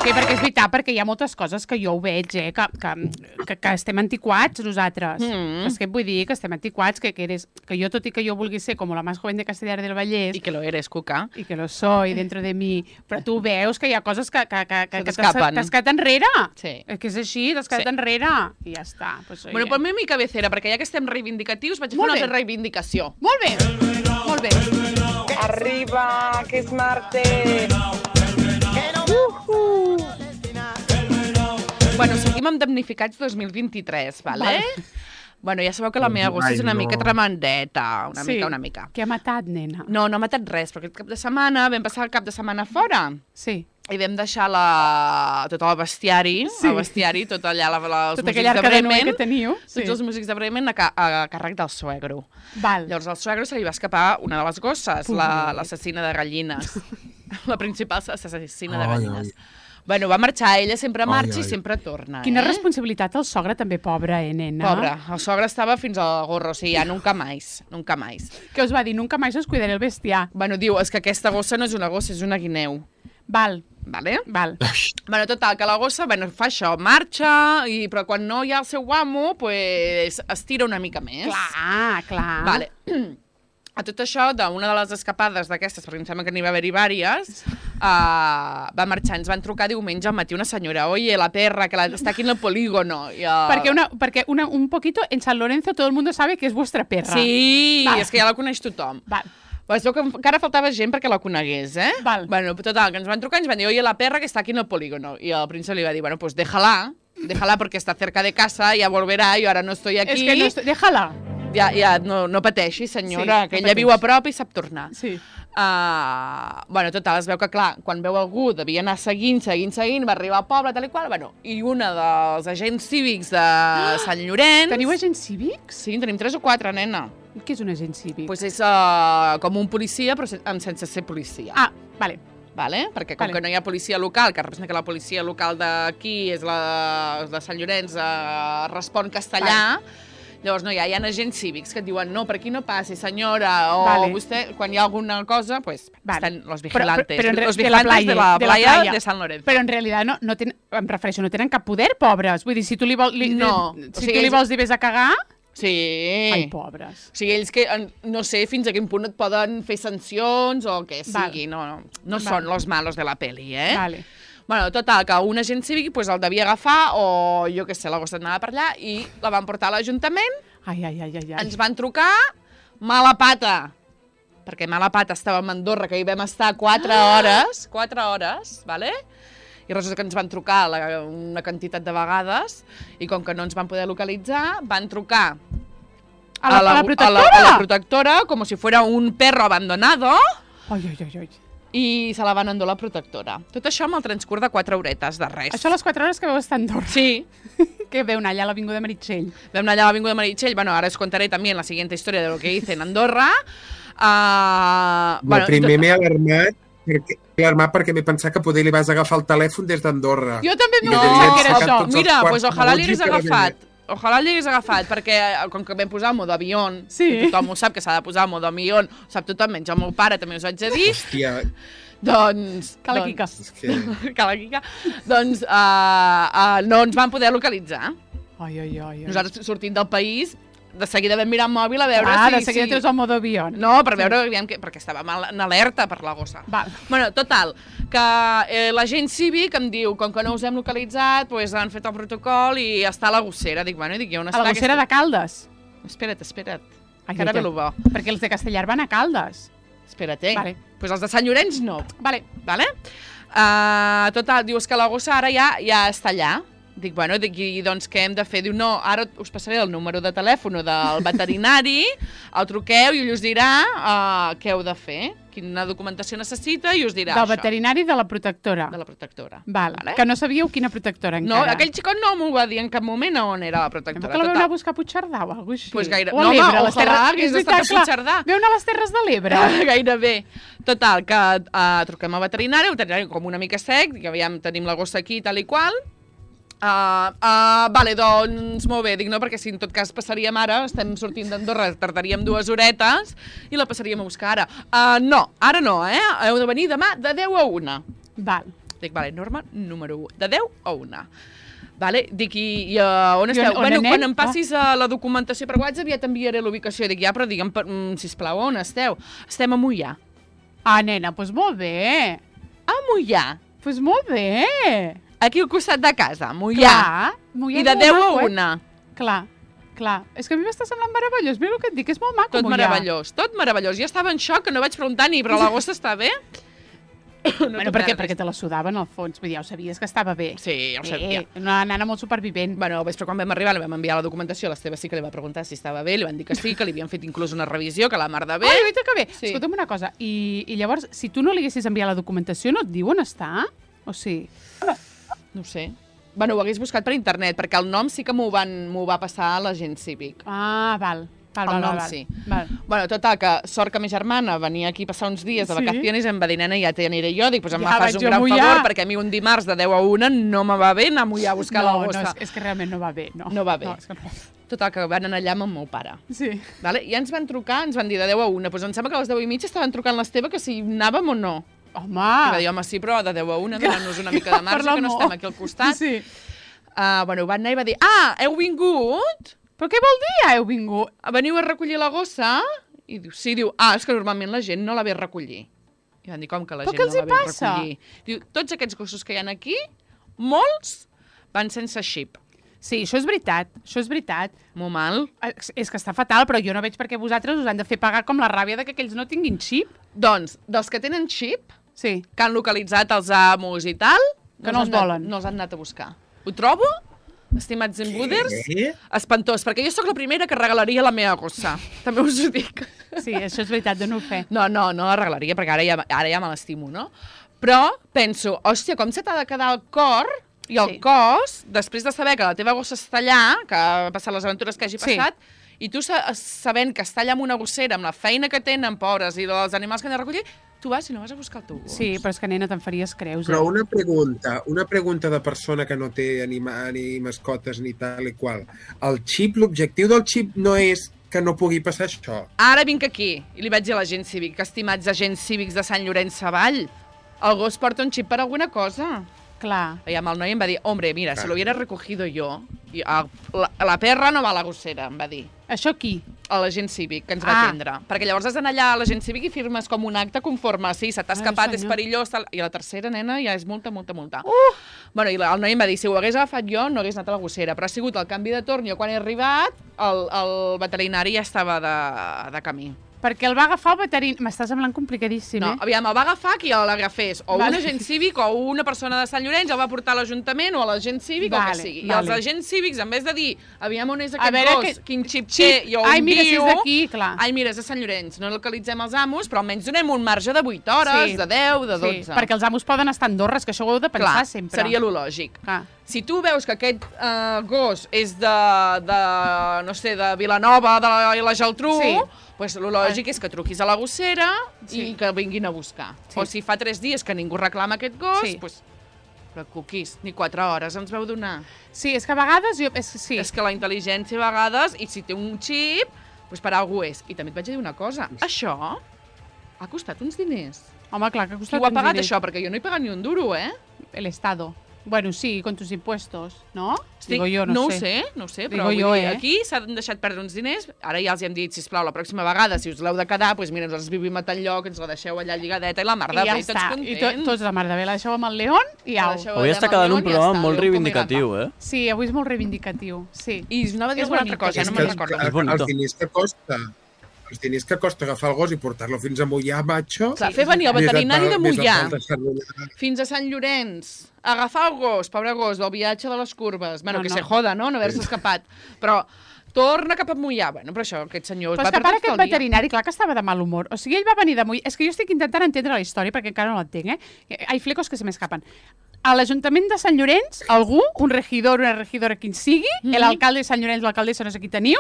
[SPEAKER 1] Sí, perquè és veritat, perquè hi ha moltes coses que jo ho veig, que estem antiquats nosaltres. És que vull dir que estem antiquats, que jo, tot i que jo vulgui ser com la més joven de Castellar del Vallès...
[SPEAKER 3] I que lo eres, Cuca.
[SPEAKER 1] I que lo soy dentro de mi. Però tu veus que hi ha coses que
[SPEAKER 3] t'escapen.
[SPEAKER 1] t'has quedat enrere.
[SPEAKER 3] Sí.
[SPEAKER 1] És que és així, t'has quedat enrere. I ja està. Pues,
[SPEAKER 3] bueno, ponme mi cabecera, perquè ja que estem reivindicatius, vaig a fer una altra reivindicació.
[SPEAKER 1] Molt bé. Molt bé.
[SPEAKER 3] Arriba, que és martes. Bueno, seguim amb damnificats 2023, vale? Bueno, ja sabeu que la meva gossa és una mica tremendeta, una mica.
[SPEAKER 1] Què ha matat, nena?
[SPEAKER 3] No ha matat res, però aquest cap de setmana vam passar el cap de setmana fora.
[SPEAKER 1] Sí.
[SPEAKER 3] I vam deixar tot el bestiari, tot allà, els
[SPEAKER 1] tota
[SPEAKER 3] músics de Bremen,
[SPEAKER 1] que teniu.
[SPEAKER 3] Tots els músics de Bremen a càrrec del suegro.
[SPEAKER 1] Val.
[SPEAKER 3] Llavors al suegro se li va escapar una de les gosses, l'assassina de gallines. La principal assassina de gallines. Bueno, va marxar, ella sempre marxa i sempre torna.
[SPEAKER 1] Quina responsabilitat el sogre també, pobre, nena?
[SPEAKER 3] Pobre, el sogre estava fins al gorro, o sigui, ja nunca más.
[SPEAKER 1] Què us va dir? Nunca más os cuidaré el bestiar.
[SPEAKER 3] Bueno, diu, és que aquesta gossa no és una gossa, és una guineu.
[SPEAKER 1] Val.
[SPEAKER 3] Vale?
[SPEAKER 1] Val.
[SPEAKER 3] Bueno, total, que la gossa, bueno, fa això, marxa, però quan no hi ha el seu amo, pues, es tira una mica més.
[SPEAKER 1] Clar.
[SPEAKER 3] Vale. A tot això, d'una de les escapades d'aquestes, perquè em sembla que n'hi va haver-hi vàries, va marxar, ens van trucar diumenge al matí una senyora, oye, la perra, que està aquí en el polígono.
[SPEAKER 1] Perquè un poquito, en San Lorenzo todo el mundo sabe que és vostra perra.
[SPEAKER 3] Sí, és que ja la coneix tothom.
[SPEAKER 1] Val.
[SPEAKER 3] Pues veu que encara faltava gent perquè la conegués, eh?
[SPEAKER 1] Val.
[SPEAKER 3] Bueno, total, que ens van trucar i ens van dir, oye, la perra que està aquí en el polígono. I el príncep li va dir, bueno, pues déjala porque está cerca de casa, ya volverá, yo ahora no estoy aquí.
[SPEAKER 1] És que no déjala.
[SPEAKER 3] Ja, no pateixi, senyora, que ella viu a prop i sap tornar.
[SPEAKER 1] Sí.
[SPEAKER 3] Bueno, total, es veu que, clar, quan veu algú devia anar seguint, va arribar al poble, tal i qual, bueno, i una dels agents cívics de Sant Llorenç...
[SPEAKER 1] Teniu agents cívics?
[SPEAKER 3] Sí, en tenim 3 o 4, nena.
[SPEAKER 1] Què és un agent cívic?
[SPEAKER 3] Pues és com un policia, però sense ser policia.
[SPEAKER 1] Vale.
[SPEAKER 3] Vale? Perquè com que no hi ha policia local, que representa que la policia local d'aquí és la de Sant Llorenç, respon castellà, llavors no hi ha agents cívics que et diuen no, per aquí no passi, senyora, o vostè, quan hi ha alguna cosa, pues estan los vigilantes, los vigilantes de la playa de San Lorenzo.
[SPEAKER 1] Però en realitat no tenen, em refereixo, no tenen cap poder, pobres. Vull dir, si tu li vols dir vés a cagar...
[SPEAKER 3] Sí.
[SPEAKER 1] Ai, pobres.
[SPEAKER 3] O sigui, ells que no sé fins a quin punt et poden fer sancions o què sigui, no són los malos de la peli, eh?
[SPEAKER 1] Vale.
[SPEAKER 3] Bueno, total, que un agent cívic pues, el devia agafar, o jo què sé, la gossa anava per allà, i la van portar a l'Ajuntament.
[SPEAKER 1] Ai.
[SPEAKER 3] Ens van trucar mala pata, perquè mala pata estàvem a Andorra, que hi vam estar 4 hores, vale? I resulta que ens van trucar una quantitat de vegades, i com que no ens van poder localitzar, van trucar
[SPEAKER 1] a la
[SPEAKER 3] protectora, com si fuera un perro abandonado.
[SPEAKER 1] Ai.
[SPEAKER 3] I se la van endur la protectora. Tot això amb el transcurs de 4 horetes, de res.
[SPEAKER 1] Això a les 4 hores que veu estar a Andorra.
[SPEAKER 3] Sí.
[SPEAKER 1] Que veu anar allà a l'Avinguda Meritxell.
[SPEAKER 3] Vam anar allà a l'Avinguda Meritxell. Bueno, ahora os contaré también la siguiente historia de lo que hice en Andorra.
[SPEAKER 2] Primer m'he alarmat perquè m'he pensat que poder li vas agafar el telèfon des d'Andorra.
[SPEAKER 1] Jo també m'he pensat que era això.
[SPEAKER 3] Mira, pues ojalà li hagués agafat. Ojalà li hagués agafat, perquè com que vam posar el modo avió, tothom ho sap que s'ha de posar el modo avió, ho sap tothom, menys el meu pare també us ho haig de dir.
[SPEAKER 2] Hòstia.
[SPEAKER 3] Doncs...
[SPEAKER 1] Cala Quica.
[SPEAKER 3] Doncs no ens van poder localitzar.
[SPEAKER 1] Ai.
[SPEAKER 3] Nosaltres sortint del país, de seguida vam mirar el mòbil a veure
[SPEAKER 1] de seguida treus el modo avió.
[SPEAKER 3] No, per veure, perquè estàvem en alerta per la gossa. Bueno, total, que l'agent cívic em diu, com que no us hem localitzat, doncs han fet el protocol i està a la gossera. Dic, bueno, on està?
[SPEAKER 1] A la gossera de Caldes?
[SPEAKER 3] Espera't. Encara ve lo bo.
[SPEAKER 1] Perquè els de Castellar van a Caldes.
[SPEAKER 3] Espera't, Pues els de Sant Llorenç no. Vale? Total, dius que la gossa ara ja està allà. Dic, bueno, i doncs què hem de fer? Diu, no, ara us passaré el número de telèfon del veterinari, el truqueu i ell us dirà què heu de fer, quina documentació necessita i us dirà
[SPEAKER 1] això.
[SPEAKER 3] Del
[SPEAKER 1] veterinari de la protectora.
[SPEAKER 3] De la protectora.
[SPEAKER 1] Vale. Que no sabíeu quina protectora encara.
[SPEAKER 3] No, aquell xicot no m'ho va dir en cap moment on era la protectora.
[SPEAKER 1] Que la veu anar a buscar a Puigcerdà o alguna cosa així?
[SPEAKER 3] Pues gaire...
[SPEAKER 1] O a l'Ebre,
[SPEAKER 3] a les terres... hagués estat a Puigcerdà.
[SPEAKER 1] Veu anar a les Terres de l'Ebre.
[SPEAKER 3] Gairebé. Total, que truquem al veterinari com una mica sec, que aviam, tenim la gossa aquí, tal i qual. Vale, doncs molt bé, dic no, perquè si en tot cas passaríem ara, estem sortint d'Andorra, tardaríem 2 horetes i la passaríem a buscar ara. No, ara no, heu de venir demà de 10 a 1.
[SPEAKER 1] Val.
[SPEAKER 3] Dic, vale, norma número 1. De 10 a 1. Vale? Dic, i on esteu? Bueno, quan em passis la documentació per WhatsApp ja t'enviaré l'ubicació. Dic, ja, però digue'm, sisplau, on esteu? Estem a Moià.
[SPEAKER 1] Ah, nena, doncs molt bé.
[SPEAKER 3] A Moià.
[SPEAKER 1] Doncs molt bé.
[SPEAKER 3] Aquí al costat de casa, Moià.
[SPEAKER 1] Moià
[SPEAKER 3] I de 10 a 1.
[SPEAKER 1] Clar. És que a mi m'està semblant meravellós. Mira el que et dic, és molt maco,
[SPEAKER 3] Tot meravellós. Jo estava en xoc, que no vaig preguntar ni, però l'agost està bé?
[SPEAKER 1] Bueno, perquè te la sudaven al fons. Vull dir, ja ho sabies que estava bé.
[SPEAKER 3] Sí, ja ho sabia.
[SPEAKER 1] Una nana molt supervivent.
[SPEAKER 3] Bueno, al vespre quan vam arribar li vam enviar la documentació, l'Esteve sí que li va preguntar si estava bé, li van dir que sí, que li havien fet inclús una revisió, que la mar de bé.
[SPEAKER 1] Ai, veritat que bé.
[SPEAKER 3] Sí.
[SPEAKER 1] Escolta'm una cosa, i llavors, si tu no li haguessis enviat la documentació, no et diu on està? O sí?
[SPEAKER 3] No ho sé. Bueno, ho hagués buscat per internet, perquè el nom sí que m'ho va passar a l'agent cívic.
[SPEAKER 1] Ah, val.
[SPEAKER 3] El nom sí. Bueno, total, que sort que ma germana venia aquí a passar uns dies de vacaciones i em va dir, nena, ja t'aniré jo. Dic, doncs em fas un gran favor, perquè a mi un dimarts de 10 a 1 no me va bé anar a Moià a buscar la gossa.
[SPEAKER 1] No, és que realment no va bé.
[SPEAKER 3] No va bé. Total, que van anar allà amb el meu pare.
[SPEAKER 1] Sí.
[SPEAKER 3] Vale? I ens van trucar, ens van dir de 10 a 1. Doncs em sembla que a les 10 i mitja estaven trucant l'Esteve que si anàvem o no.
[SPEAKER 1] Home!
[SPEAKER 3] I va dir, home, sí, però de 10 a 1 donant-nos una mica de marge, que no estem aquí al costat.
[SPEAKER 1] Sí.
[SPEAKER 3] Bueno, van anar i va dir, heu vingut?
[SPEAKER 1] Però què vol dir, heu vingut?
[SPEAKER 3] Veniu a recollir la gossa? I diu, sí, diu, és que normalment la gent no la ve a recollir. I van dir, com que la gent no la ve a recollir? Diu, tots aquests gossos que hi ha aquí, molts van sense xip.
[SPEAKER 1] Sí, això és veritat.
[SPEAKER 3] Molt mal.
[SPEAKER 1] És que està fatal, però jo no veig per què vosaltres us han de fer pagar com la ràbia de que aquells no tinguin xip.
[SPEAKER 3] Doncs, dels que tenen xip,
[SPEAKER 1] sí,
[SPEAKER 3] que han localitzat els amos i tal,
[SPEAKER 1] que no els volen.
[SPEAKER 3] No els han anat a buscar. Ho trobo, estimats embuders, espantós, perquè jo sóc la primera que regalaria la meva gossa. També us ho dic.
[SPEAKER 1] Sí, això és veritat, de no fer.
[SPEAKER 3] No la regalaria, perquè ara ja me l'estimo, no? Però penso, hòstia, com se t'ha de quedar el cor i el cos, després de saber que la teva gossa està allà, que ha passat les aventures que hagi passat, i tu sabent que està allà amb una gossera, amb la feina que tenen, pobres, i dels animals que han de recollir, tu vas i no vas a buscar el teu gos.
[SPEAKER 1] Sí, però és que, nena, te'n faries creus.
[SPEAKER 2] Però una pregunta de persona que no té ni mascotes ni tal i qual. El xip, l'objectiu del xip no és que no pugui passar això.
[SPEAKER 3] Ara vinc aquí i li vaig dir a l'agent cívic, que estimats agents cívics de Sant Llorenç Savall, el gos porta un xip per alguna cosa.
[SPEAKER 1] Clar.
[SPEAKER 3] I amb el noi em va dir, hombre, mira, si lo hubiera recogido yo, la perra no va a la gossera, em va dir.
[SPEAKER 1] Això qui?
[SPEAKER 3] A l'agent cívic, que ens va atendre. Perquè llavors has d'anar allà a l'agent cívic i firmes com un acte conforme, sí, se t'ha escapat, és perillós, tal. I la tercera, nena, ja és multa. Bueno, i el noi em va dir, si ho hagués agafat jo, no hagués anat a la gossera, però ha sigut el canvi de torn, jo quan he arribat, el veterinari ja estava de camí.
[SPEAKER 1] Perquè el va agafar el veterinari... M'està semblant complicadíssim,
[SPEAKER 3] No, aviam, el va agafar qui l'agafés. O un agent cívic o una persona de Sant Llorenç el va portar a l'Ajuntament o a l'agent cívic o que sigui. I els agents cívics, en vez de dir, aviam on és aquest gos, quin xip té i on
[SPEAKER 1] mira,
[SPEAKER 3] viu...
[SPEAKER 1] si és d'aquí, clar.
[SPEAKER 3] Ai, mira, és de Sant Llorenç. No localitzem els amos, però almenys donem un marge de 8 hores, de 10, de 12.
[SPEAKER 1] Sí, perquè els amos poden estar a Andorra, és que això ho heu de pensar sempre.
[SPEAKER 3] Seria lo lògic.
[SPEAKER 1] Clar.
[SPEAKER 3] Si tu veus que aquest gos és no sé, de Vilanova, de la Geltrú, doncs el lògic és que truquis a la gossera i que vinguin a buscar. O si fa 3 dies que ningú reclama aquest gos, doncs preocupis, ni 4 hores ens veu donar.
[SPEAKER 1] Sí, és que a vegades...
[SPEAKER 3] És que la intel·ligència a vegades, i si té un xip, doncs per alguna cosa és. I també et vaig dir una cosa, això ha costat uns diners.
[SPEAKER 1] Home, clar, que ha costat uns diners.
[SPEAKER 3] Qui ho ha pagat això? Perquè jo no he pagat ni un duro,
[SPEAKER 1] El Estado. Bueno, sí, con tus impuestos, ¿no? Digo yo,
[SPEAKER 3] no ho sé, però aquí s'han deixat perdre uns diners. Ara ja els hem dit, sisplau, la pròxima vegada, si us l'heu de quedar, doncs mira, ens vivim a tal lloc, ens la deixeu allà lligadeta i la mar de bé, tots contents.
[SPEAKER 1] I tots la mar de bé, la deixeu amb el León i au.
[SPEAKER 5] Avui està quedant un programa molt reivindicatiu,
[SPEAKER 1] Sí, avui és molt reivindicatiu, sí.
[SPEAKER 3] I anava a dir una altra cosa, no me'n recordo.
[SPEAKER 2] Els diners que costa... Els diners que costa agafar el gos i portar-lo fins a Moià, macho...
[SPEAKER 3] Clar, fer venir el veterinari de Moià fins a Sant Llorenç, agafar el gos, pobre gos, del viatge de les curves, bueno, que se joda, no haver-se escapat, però torna cap a Moià, bueno, però això, aquest senyor...
[SPEAKER 1] Però és que a part aquest veterinari, clar que estava de mal humor, o sigui, ell va venir de Moià, és que jo estic intentant entendre la història, perquè encara no l'entenc, Hay flecos que se m'escapen. A l'Ajuntament de Sant Llorenç, algú, un regidor, una regidora, quin sigui, l'alcalde de Sant Llorenç, l'alcaldessa, no sé qui teniu,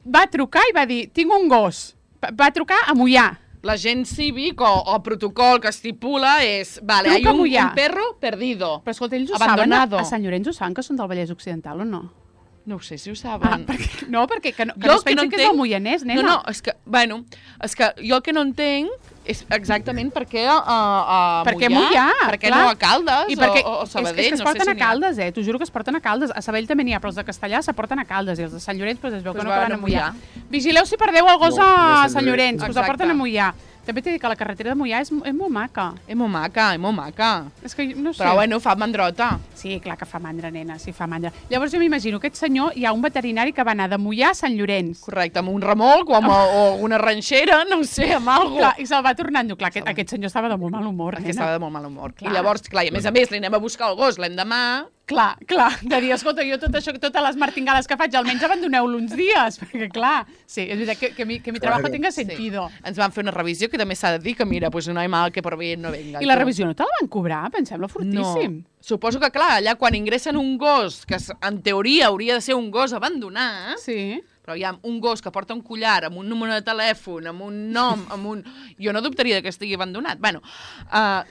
[SPEAKER 1] va trucar i va dir, tinc un gos. Va trucar a Moià.
[SPEAKER 3] L'agent cívic o el protocol que estipula és, vale, hay un perro perdido,
[SPEAKER 1] però escolta, ells ho saben, a Sant Llorenç ho saben que són del Vallès Occidental o no?
[SPEAKER 3] No ho sé si ho saben.
[SPEAKER 1] No, perquè no es pensi que és del Moianès, nena.
[SPEAKER 3] No, és que, bueno, és que jo el que no entenc És exactament perquè a
[SPEAKER 1] Perquè Moià,
[SPEAKER 3] perquè
[SPEAKER 1] clar.
[SPEAKER 3] no a Caldes
[SPEAKER 1] I perquè,
[SPEAKER 3] o Sabadell.
[SPEAKER 1] És que es porten a Caldes, t'ho juro que es porten a Caldes. A Sabadell també n'hi ha, però els de Castellà se porten a Caldes i els de Sant Llorenç es veu que no van a Moià. Vigileu si perdeu el gos a Sant Llorenç, us el porten a Moià. També t'he dit que la carretera de Moià és molt maca.
[SPEAKER 3] És molt maca.
[SPEAKER 1] És que no sé.
[SPEAKER 3] Però bueno, fa mandrota.
[SPEAKER 1] Sí, clar que fa mandra, nena, sí, fa mandra. Llavors jo m'imagino, aquest senyor, hi ha un veterinari que va anar de Moià a Sant Llorenç.
[SPEAKER 3] Correcte, amb un remolc o una ranxera, no ho sé, amb alguna cosa.
[SPEAKER 1] Clar, i se'l va tornant. Clar, aquest senyor estava de molt mal humor, nena.
[SPEAKER 3] Estava de molt mal humor.
[SPEAKER 1] Clar.
[SPEAKER 3] I llavors, clar, i a més li anem a buscar el gos l'endemà.
[SPEAKER 1] Clar, de dir, escolta, jo tot això, totes les martingades que faig, almenys abandoneu-lo uns dies, perquè clar, sí, és veritat que mi trabajo tenga sentido.
[SPEAKER 3] Sí. Ens van fer una revisió que també s'ha de dir que mira, pues no hay mal que por bien no venga.
[SPEAKER 1] I la revisió no te la van cobrar? Pensem-lo fortíssim.
[SPEAKER 3] No. Suposo que, clar, allà quan ingressen un gos, que en teoria hauria de ser un gos abandonat,
[SPEAKER 1] sí.
[SPEAKER 3] Però hi ha un gos que porta un collar amb un número de telèfon, amb un nom, amb un... Jo no dubtaria que estigui abandonat. Bueno,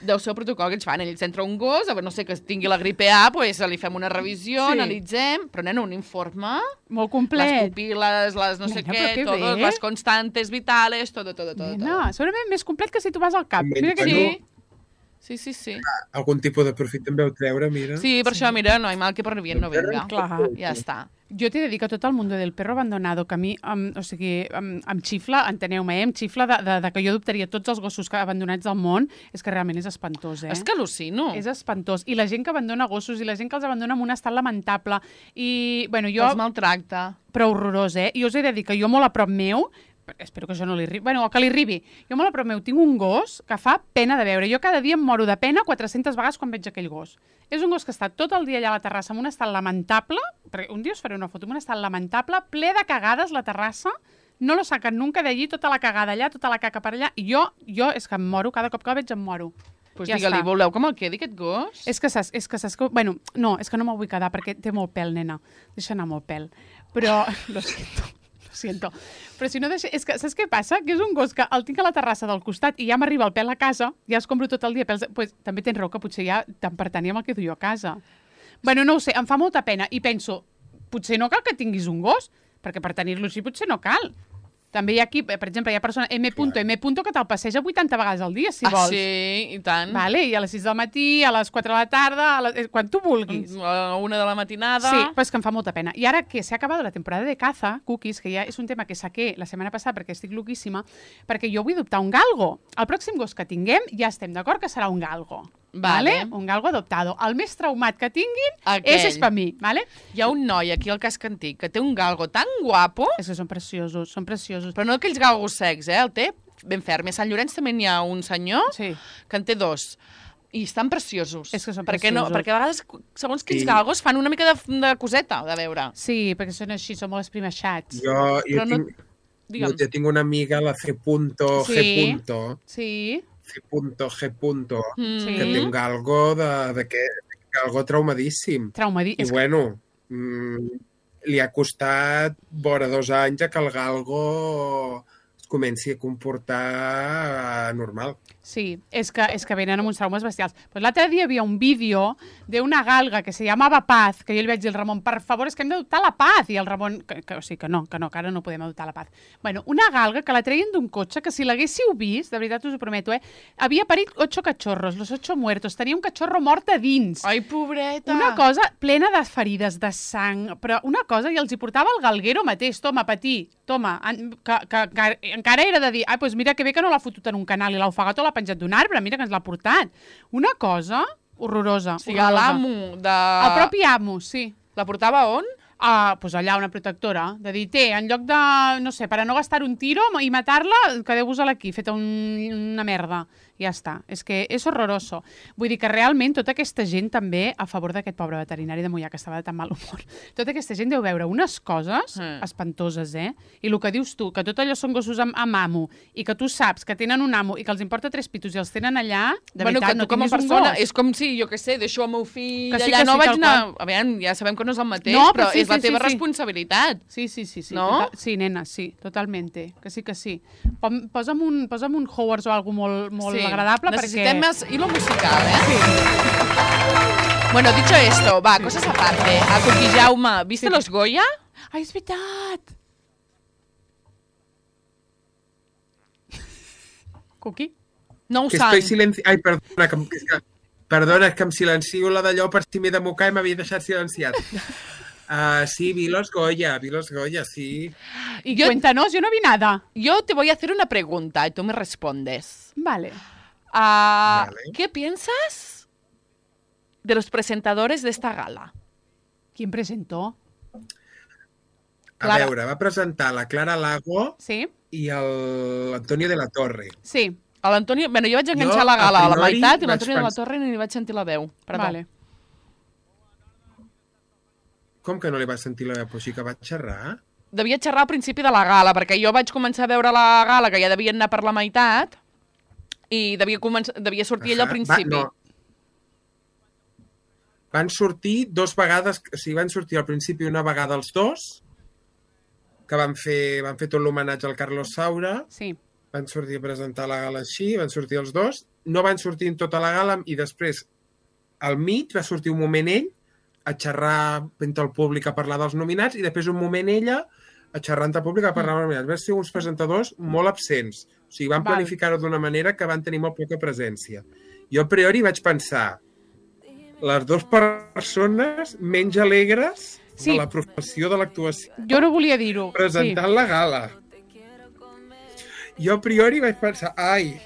[SPEAKER 3] deu ser el protocol que ells fan. Ells entra un gos, no sé, que tingui la gripe A, pues li fem una revisió, analitzem, però nena, un informe...
[SPEAKER 1] Molt complet.
[SPEAKER 3] Les pupil·les, les no sé què, totes les constantes vitales, tot.
[SPEAKER 1] Nena, segurament més complet que si tu vas al CAP. Mira que
[SPEAKER 3] sí.
[SPEAKER 2] Algun tipus de profit també ho treure, mira.
[SPEAKER 3] Sí, per això, mira, no hay mal que por bien no venga.
[SPEAKER 1] Clar.
[SPEAKER 3] Ja està.
[SPEAKER 1] Jo t'he de dir que tot el mundo del perro abandonado, que a mi, em xifla, enteneu-me, em xifla de que jo adoptaria tots els gossos abandonats del món, és que realment és espantós,
[SPEAKER 3] És que al·lucino.
[SPEAKER 1] És espantós. I la gent que abandona gossos i la gent que els abandona en un estat lamentable. I, bueno, jo...
[SPEAKER 3] Els maltracta.
[SPEAKER 1] Però horrorós, I us he de dir que jo molt a prop meu, espero que això no li arribi, bueno, que li arribi. Jo molt a prop meu tinc un gos que fa pena de veure. Jo cada dia em moro de pena 400 vegades quan veig aquell gos. És un gos que està tot el dia allà a la terrassa en un estat lamentable, perquè un dia us faré una foto, en un estat lamentable, ple de cagades la terrassa, no lo sacan nunca d'allí, tota la cagada allà, tota la caca per allà, i jo és que em moro, cada cop que el veig em moro.
[SPEAKER 3] Pues ja digue-li, voleu que me'l quedi aquest gos?
[SPEAKER 1] És que saps que... Bueno, no, és que no me'l vull quedar perquè té molt pèl, nena. Deixa anar molt pèl. Però... Lo siento. Però si no deixa... És que saps què passa? Que és un gos que el tinc a la terrassa del costat i ja m'arriba el pèl a casa, ja es compro tot el dia pèls... Pues, també tens raó que potser ja tant per tant ja me'l quedo jo a casa. Bueno, no ho sé, em fa molta pena i penso, potser no cal que tinguis un gos, perquè per tenir-lo així potser no cal. També hi ha aquí, per exemple, hi ha persona M. que te'l passeja 80 vegades al dia, si vols.
[SPEAKER 3] Sí, i tant.
[SPEAKER 1] Vale, i a les 6 del matí, a les 4 de la tarda, quan tu vulguis.
[SPEAKER 3] A 1 de la matinada.
[SPEAKER 1] Sí, però és que em fa molta pena. I ara que s'ha acabat la temporada de caza, Cookies, que ja és un tema que saqué la setmana passada perquè estic loquíssima, perquè jo vull adoptar un galgo. El pròxim gos que tinguem ja estem d'acord que serà un galgo. Vale? Un galgo adoptado. El més traumat que tinguin és per mi. Vale?
[SPEAKER 3] Hi ha un noi aquí al casc antic que té un galgo tan guapo.
[SPEAKER 1] És que són preciosos.
[SPEAKER 3] Però no aquells galgos secs, el té ben ferm. A Sant Llorenç també n'hi ha un senyor que en té 2. I estan preciosos.
[SPEAKER 1] És que són preciosos.
[SPEAKER 3] Perquè a vegades, segons quins galgos, fan una mica de coseta de veure.
[SPEAKER 1] Sí, perquè són així, són molt esprimaixats.
[SPEAKER 2] Jo tinc una amiga, la C. G.
[SPEAKER 1] Sí.
[SPEAKER 2] C.G. que té un galgo galgo traumadíssim. I bueno, li ha costat vora 2 anys que el galgo es comenci a comportar normal.
[SPEAKER 1] Sí, és que venen amb uns traumes bestials. Pues l'altre dia hi havia un vídeo d'una galga que se llamava Paz, que jo li vaig dir al Ramon, per favor, és que hem d'adoptar la Paz. I el Ramon, que no, que ara no podem adoptar la Paz. Bueno, una galga que la treien d'un cotxe, que si l'haguéssiu vist, de veritat us ho prometo, havia parit 8 cachorros, los 8 muertos, tenia un cachorro mort a dins.
[SPEAKER 3] Ai, pobreta!
[SPEAKER 1] Una cosa plena de ferides, de sang, però una cosa, i els hi portava el galguero mateix, toma, patí, toma, que encara era de dir, pues mira que bé que no l'ha fotut en un canal i l'ha ofegat o l'ha penjat d'un arbre, mira que ens l'ha portat. Una cosa horrorosa.
[SPEAKER 3] O sigui, l'amo de...
[SPEAKER 1] El propi amo, sí.
[SPEAKER 3] La portava on?
[SPEAKER 1] Pues allà, una protectora, de dir, en lloc de, no sé, per a no gastar un tiro i matar-la, quedeu-vos-la aquí, feta una merda. Ja està. És que és horroroso. Vull dir que realment tota aquesta gent també a favor d'aquest pobre veterinari de Moià que estava de tan mal humor. Tota aquesta gent deu veure unes coses espantoses, I el que dius tu, que tot allò són gossos amb amo i que tu saps que tenen un amo i que els importa 3 pitos i els tenen allà, de veritat, no tinguis un gos.
[SPEAKER 3] És com si, jo què sé, deixo el meu fill allà, no vaig anar... A veure, ja sabem que no és el mateix, però és la teva responsabilitat.
[SPEAKER 1] Sí.
[SPEAKER 3] No?
[SPEAKER 1] Sí, nena, sí, totalmente. Que sí. Posa'm un Howards o alguna cosa molt agradable.
[SPEAKER 3] Necesitem más hilo musical, Sí. Bueno, dicho esto, va, cosas aparte. A Coqui Jaume, ¿viste los Goya?
[SPEAKER 1] Ai, és veritat! Coqui?
[SPEAKER 3] No ho
[SPEAKER 2] que
[SPEAKER 3] sant.
[SPEAKER 2] estoy silenci... Ai, perdona, és que em silencio la d'allò per si m'he de mocar i m'havia deixat silenciat. Sí, vi los Goya, sí.
[SPEAKER 1] Y cuéntanos, yo no vi nada.
[SPEAKER 3] Yo te voy a hacer una pregunta y tú me respondes.
[SPEAKER 1] Vale.
[SPEAKER 3] ¿Qué piensas de los presentadores de esta gala?
[SPEAKER 1] ¿Quién presentó?
[SPEAKER 2] A veure, va presentar la Clara Lago i l'Antonio de la Torre.
[SPEAKER 1] Sí.
[SPEAKER 3] A l'Antonio... Bueno, jo vaig enganxar la gala a la meitat i l'Antonio de la Torre ni li vaig sentir la veu. Perdó.
[SPEAKER 1] Vale.
[SPEAKER 2] Com que no li vas sentir la veu? Però sí que va xerrar.
[SPEAKER 3] Devia xerrar al principi de la gala, perquè jo vaig començar a veure la gala, que ja devia anar per la meitat, i devia sortir ella al principi.
[SPEAKER 2] Van sortir 2 vegades, o sigui, van sortir al principi una vegada els dos, que van fer tot l'homenatge al Carlos Saura.
[SPEAKER 1] Sí.
[SPEAKER 2] Van sortir a presentar la gala així, van sortir els dos, no van sortir en tota la gala i després al mig va sortir un moment ell a xerrar entre el públic a parlar dels nominats i després un moment ella a xerrar entre el públic a parlar dels nominats. Van ser uns presentadors molt absents. O sigui, van planificar-ho d'una manera que van tenir molt poca presència. Jo a priori vaig pensar les 2 persones menys alegres de la professió de l'actuació.
[SPEAKER 1] Jo no volia dir-ho.
[SPEAKER 2] Presentant la gala. Jo a priori vaig pensar, ai,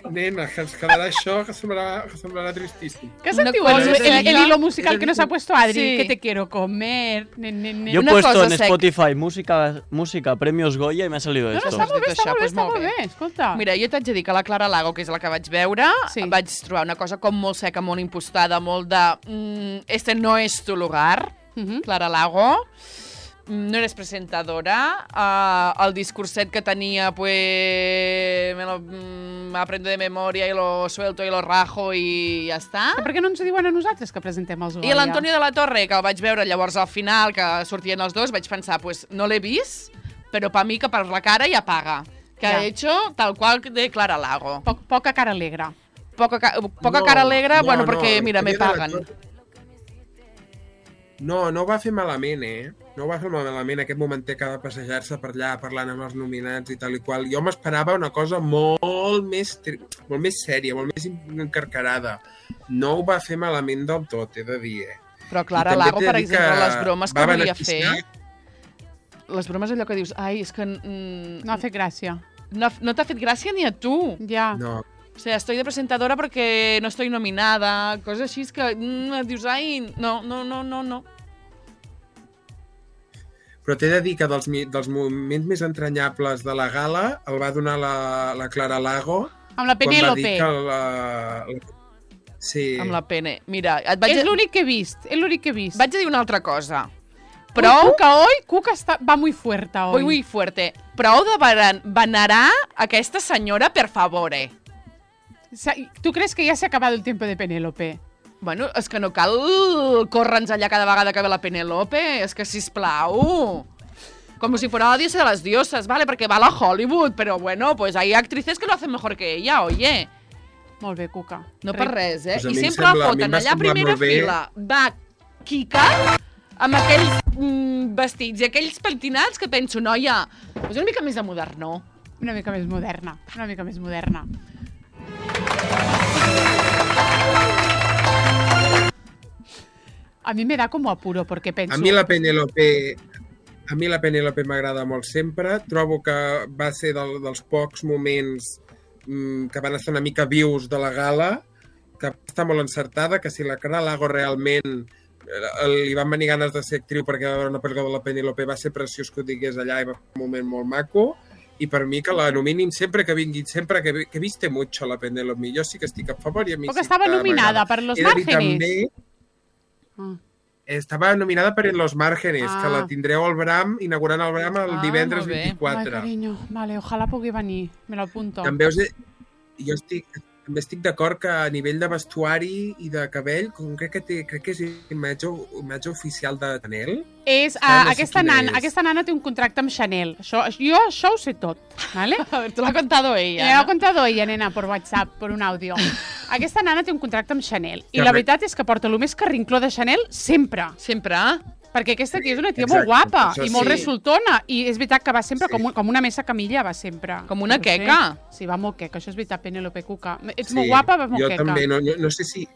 [SPEAKER 2] nena, que ens quedarà això, que semblarà tristíssim.
[SPEAKER 1] ¿Qué sentiu el hilo musical que nos ha puesto Adri? Sí. Que te quiero comer.
[SPEAKER 5] Yo he puesto en Spotify música, premios Goya y me ha salido esto.
[SPEAKER 1] No, està molt bé, escolta.
[SPEAKER 3] Mira, jo t'haig de dir que la Clara Lago, que és la que vaig veure, vaig trobar una cosa com molt seca, molt impostada, molt de... este no es tu lugar, Clara Lago. No eres presentadora. El discurset que tenia, pues... me aprendo de memòria i lo suelto i lo rajo i ja està.
[SPEAKER 1] Per què no ens diuen a nosaltres que presentem els Goya?
[SPEAKER 3] I l'Antonio de la Torre, que el vaig veure llavors al final, que sortien els dos, vaig pensar, pues no l'he vist, però per mi que per la cara ja paga. Que ha hecho tal qual de Clara Lago.
[SPEAKER 1] Poca cara alegre.
[SPEAKER 3] Poca cara alegre, bueno, perquè, mira, me paguen.
[SPEAKER 2] No ho va fer malament, No ho va fer malament, aquest momentet que va passejar-se per allà parlant amb els nominats i tal i qual. Jo m'esperava una cosa molt més sèria, molt més encarcarada. No ho va fer malament del tot, he de dir,
[SPEAKER 3] Però Clara Lago, per exemple, les bromes que volia fer... Les bromes allò que dius, ai, és que...
[SPEAKER 1] No ha fet gràcia.
[SPEAKER 3] No t'ha fet gràcia ni a tu.
[SPEAKER 1] Ja.
[SPEAKER 2] No.
[SPEAKER 3] O sea, estoy de presentadora porque no estoy nominada, coses així que dius, ai, no.
[SPEAKER 2] Però t'he de dir que dels moments més entranyables de la gala el va donar la Clara Lago.
[SPEAKER 1] Amb la Penélope.
[SPEAKER 2] Sí.
[SPEAKER 3] Amb la Pene. Mira,
[SPEAKER 1] és l'únic que he vist,
[SPEAKER 3] Vaig a dir una altra cosa.
[SPEAKER 1] Prou... Cuca va muy fuerte hoy.
[SPEAKER 3] Muy fuerte. Prou de venerar aquesta senyora, per favore.
[SPEAKER 1] ¿Tú crees que ya se ha acabado el tiempo de Penélope?
[SPEAKER 3] Bueno, és que no cal córre'ns allà cada vegada que ve la Penélope. És que, sisplau... Como si fuera la diosa de las diosas, ¿vale? Porque va a la Hollywood, pero bueno, pues hay actrices que lo hacen mejor que ella, oye.
[SPEAKER 1] Molt bé, Cuca.
[SPEAKER 3] No per res,
[SPEAKER 2] Pues
[SPEAKER 3] I sempre la foten allà a primera fila. Va Kika amb aquells vestits i aquells pentinats que penso, noia, és una mica més de modernó.
[SPEAKER 1] Una mica més moderna. A mi me da como apuro, porque penso...
[SPEAKER 2] A mi la Penélope m'agrada molt sempre. Trobo que va ser dels pocs moments que van estar una mica vius de la gala, que està molt encertada, que si la Clara Lago realment li van venir ganes de ser actriu perquè va veure una pel·lícula de la Penélope, va ser preciós que ho digués allà i va fer un moment molt maco. I per mi que la nominin sempre que vingui, sempre que viste mucho la Penélope. Jo sí que estic a favor i a mi
[SPEAKER 1] Porque estava nominada per Los Márgenes.
[SPEAKER 2] Estava nominada per Los Márgenes, que la tindreu al Bram, inaugurant el Bram el divendres 24.
[SPEAKER 1] Ai, carinyo, vale, ojalà pugui venir, me l'apunto.
[SPEAKER 2] També també estic d'acord que a nivell de vestuari i de cabell, crec que és imatge oficial de Chanel.
[SPEAKER 1] Aquesta nana té un contracte amb Chanel. Jo això ho sé tot, ¿vale?
[SPEAKER 3] A ver, te lo ha contado ella.
[SPEAKER 1] Me lo ha contado ella, nena, por WhatsApp, por un audio. Aquesta nana té un contracte amb Chanel. I la veritat és que porta el més carrincló de Chanel sempre.
[SPEAKER 3] Sempre?
[SPEAKER 1] Perquè aquesta tia és una tia molt guapa i molt
[SPEAKER 2] sí.
[SPEAKER 1] resultona. I és veritat que va sempre com una mesa camilla, va sempre.
[SPEAKER 3] Com una queca.
[SPEAKER 1] Sí, va molt queca, això és veritat, Penélope Cuca. Ets molt guapa, va molt queca.
[SPEAKER 2] Jo també, no sé si...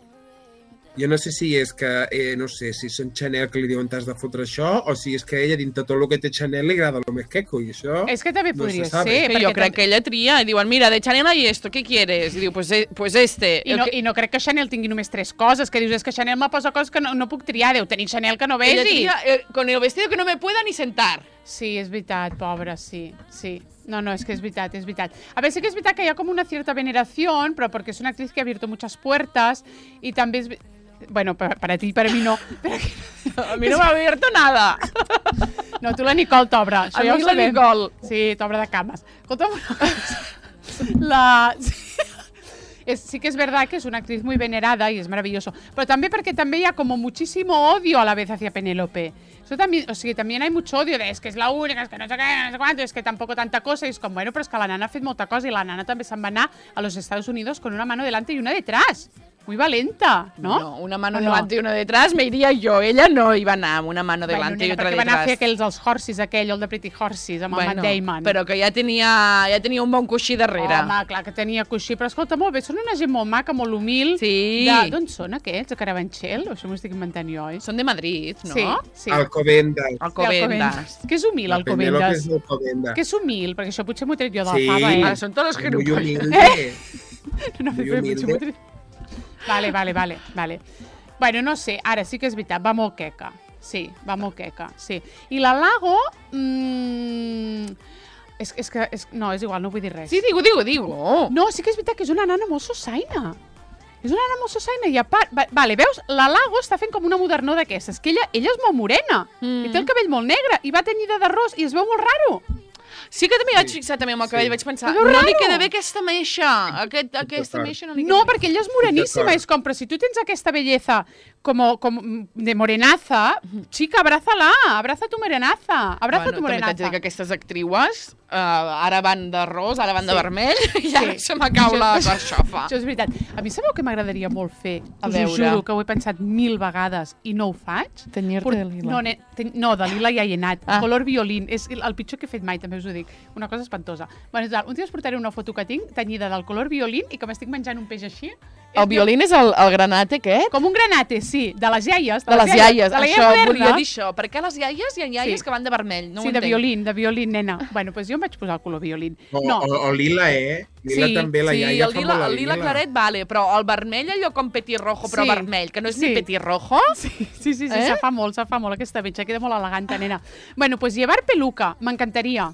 [SPEAKER 2] Jo no sé si és que, no sé, si són Chanel que li diuen t'has de fotre això, o si és que ella, dintre tot el que té Chanel, li agrada el més queco, i això...
[SPEAKER 1] És que també podria ser.
[SPEAKER 3] Que jo crec que ella tria, i diuen, mira, de Chanel hay esto, ¿qué quieres? I diu, pues este.
[SPEAKER 1] I no crec que Chanel tingui només 3 coses, que dius, és que Chanel me posa coses que no puc triar, deu tenir Chanel que no vegi.
[SPEAKER 3] Ella tria, con el vestido que no me pueda ni sentar.
[SPEAKER 1] Sí, és veritat, pobra, sí. No, és que és veritat. A veure, sí que és veritat que hi ha com una cierta veneración, però perquè és una actriz que ha abierto muchas puertas, i també és... Bueno, para ti y para mí no. Pero
[SPEAKER 3] a mí no me ha abierto nada.
[SPEAKER 1] No, tu la Nicole t'obre.
[SPEAKER 3] A mi la Nicole.
[SPEAKER 1] Sí, t'obre de cames. Escolta'm una cosa. Sí que es verdad que es una actriz muy venerada y es maravilloso. Pero también porque también hay como muchísimo odio a la vez hacia Penélope. Eso también, o sigui, también hay mucho odio de es que es la única, es que no sé qué, no sé cuánto, es que tampoco tanta cosa. Y es como, bueno, pero es que la nana ha fet molta cosa y la nana també se'n va anar a los Estados Unidos con una mano delante y una detrás. Muy valenta, ¿no?
[SPEAKER 3] No, una mano delante y una detrás me iría yo. Ella no iba a anar amb una mano delante y otra detrás.
[SPEAKER 1] Perquè van a fer els Horses, el de Pretty Horses, amb el Matt Damon.
[SPEAKER 3] Però que ja tenia un bon coixí darrere.
[SPEAKER 1] Home, clar que tenia coixí, però escolta, molt bé, són una gent molt maca, molt humil.
[SPEAKER 3] Sí.
[SPEAKER 1] D'on són aquests? De Carabanchel? Això m'ho estic inventant jo, oi?
[SPEAKER 3] Són de Madrid, no?
[SPEAKER 1] Sí.
[SPEAKER 2] Alcobendas.
[SPEAKER 3] Alcobendas.
[SPEAKER 1] Què és humil, Alcobendas? Què és humil? Perquè això potser m'ho he tret jo de la fava,
[SPEAKER 3] Ara són tots els gilipolles.
[SPEAKER 1] No, però potser m'ho he tret... Vale. Bueno, no sé, ara sí que és veritat, va molt queca. Sí, va molt queca, sí. I la Lago... No, és igual, no vull dir res.
[SPEAKER 3] Sí, digo.
[SPEAKER 1] No, sí que és veritat que és una nana molt sosaina. És una nana molt sosaina i a part... Vale, veus? La Lago està fent com una modernó d'aquestes, que ella és molt morena i té el cabell molt negre i va tenyida d'arròs i es veu molt raro.
[SPEAKER 3] Sí que també vaig fixar també amb el cabell, vaig pensar, no li queda bé aquesta meixa, aquesta meixa no li queda bé.
[SPEAKER 1] No, perquè ella és moreníssima, és com, però si tu tens aquesta belleza com de morenaza, chica, abraza tu morenaza,
[SPEAKER 3] tu morenaza. També t'haig de dir que aquestes actrius ara van de ros, ara van de vermell, i ara se m'acau la carxofa.
[SPEAKER 1] Això és veritat. A mi sabeu que m'agradaria molt fer? Us ho juro, que ho he pensat 1000 vegades i no ho faig.
[SPEAKER 3] Tenyir-te de lila.
[SPEAKER 1] No, de lila ja hi he anat. Color violín. És el pitjor que he fet mai, també us ho dic. Una cosa espantosa. Bueno, un dia us portaré una foto que tinc tenyida del color violín i que m'estic menjant un peix així.
[SPEAKER 3] El violín és el granate aquest?
[SPEAKER 1] Com un granate, sí. De les iaies.
[SPEAKER 3] De les iaies. Això, volia dir això. Per què les iaies hi ha iaies que van de vermell? No
[SPEAKER 1] sí, de violín, nena. Bueno, doncs jo em vaig posar el color violín.
[SPEAKER 2] O lila, Lila també, la iaia fa molt la lila.
[SPEAKER 3] Sí, el lila claret, vale, però el vermell, allò com petirrojo, però vermell, que no és ni petirrojo.
[SPEAKER 1] Sí, se fa molt aquesta bitxa, queda molt elegant, nena. Bueno, doncs llevar peluca, m'encantaria.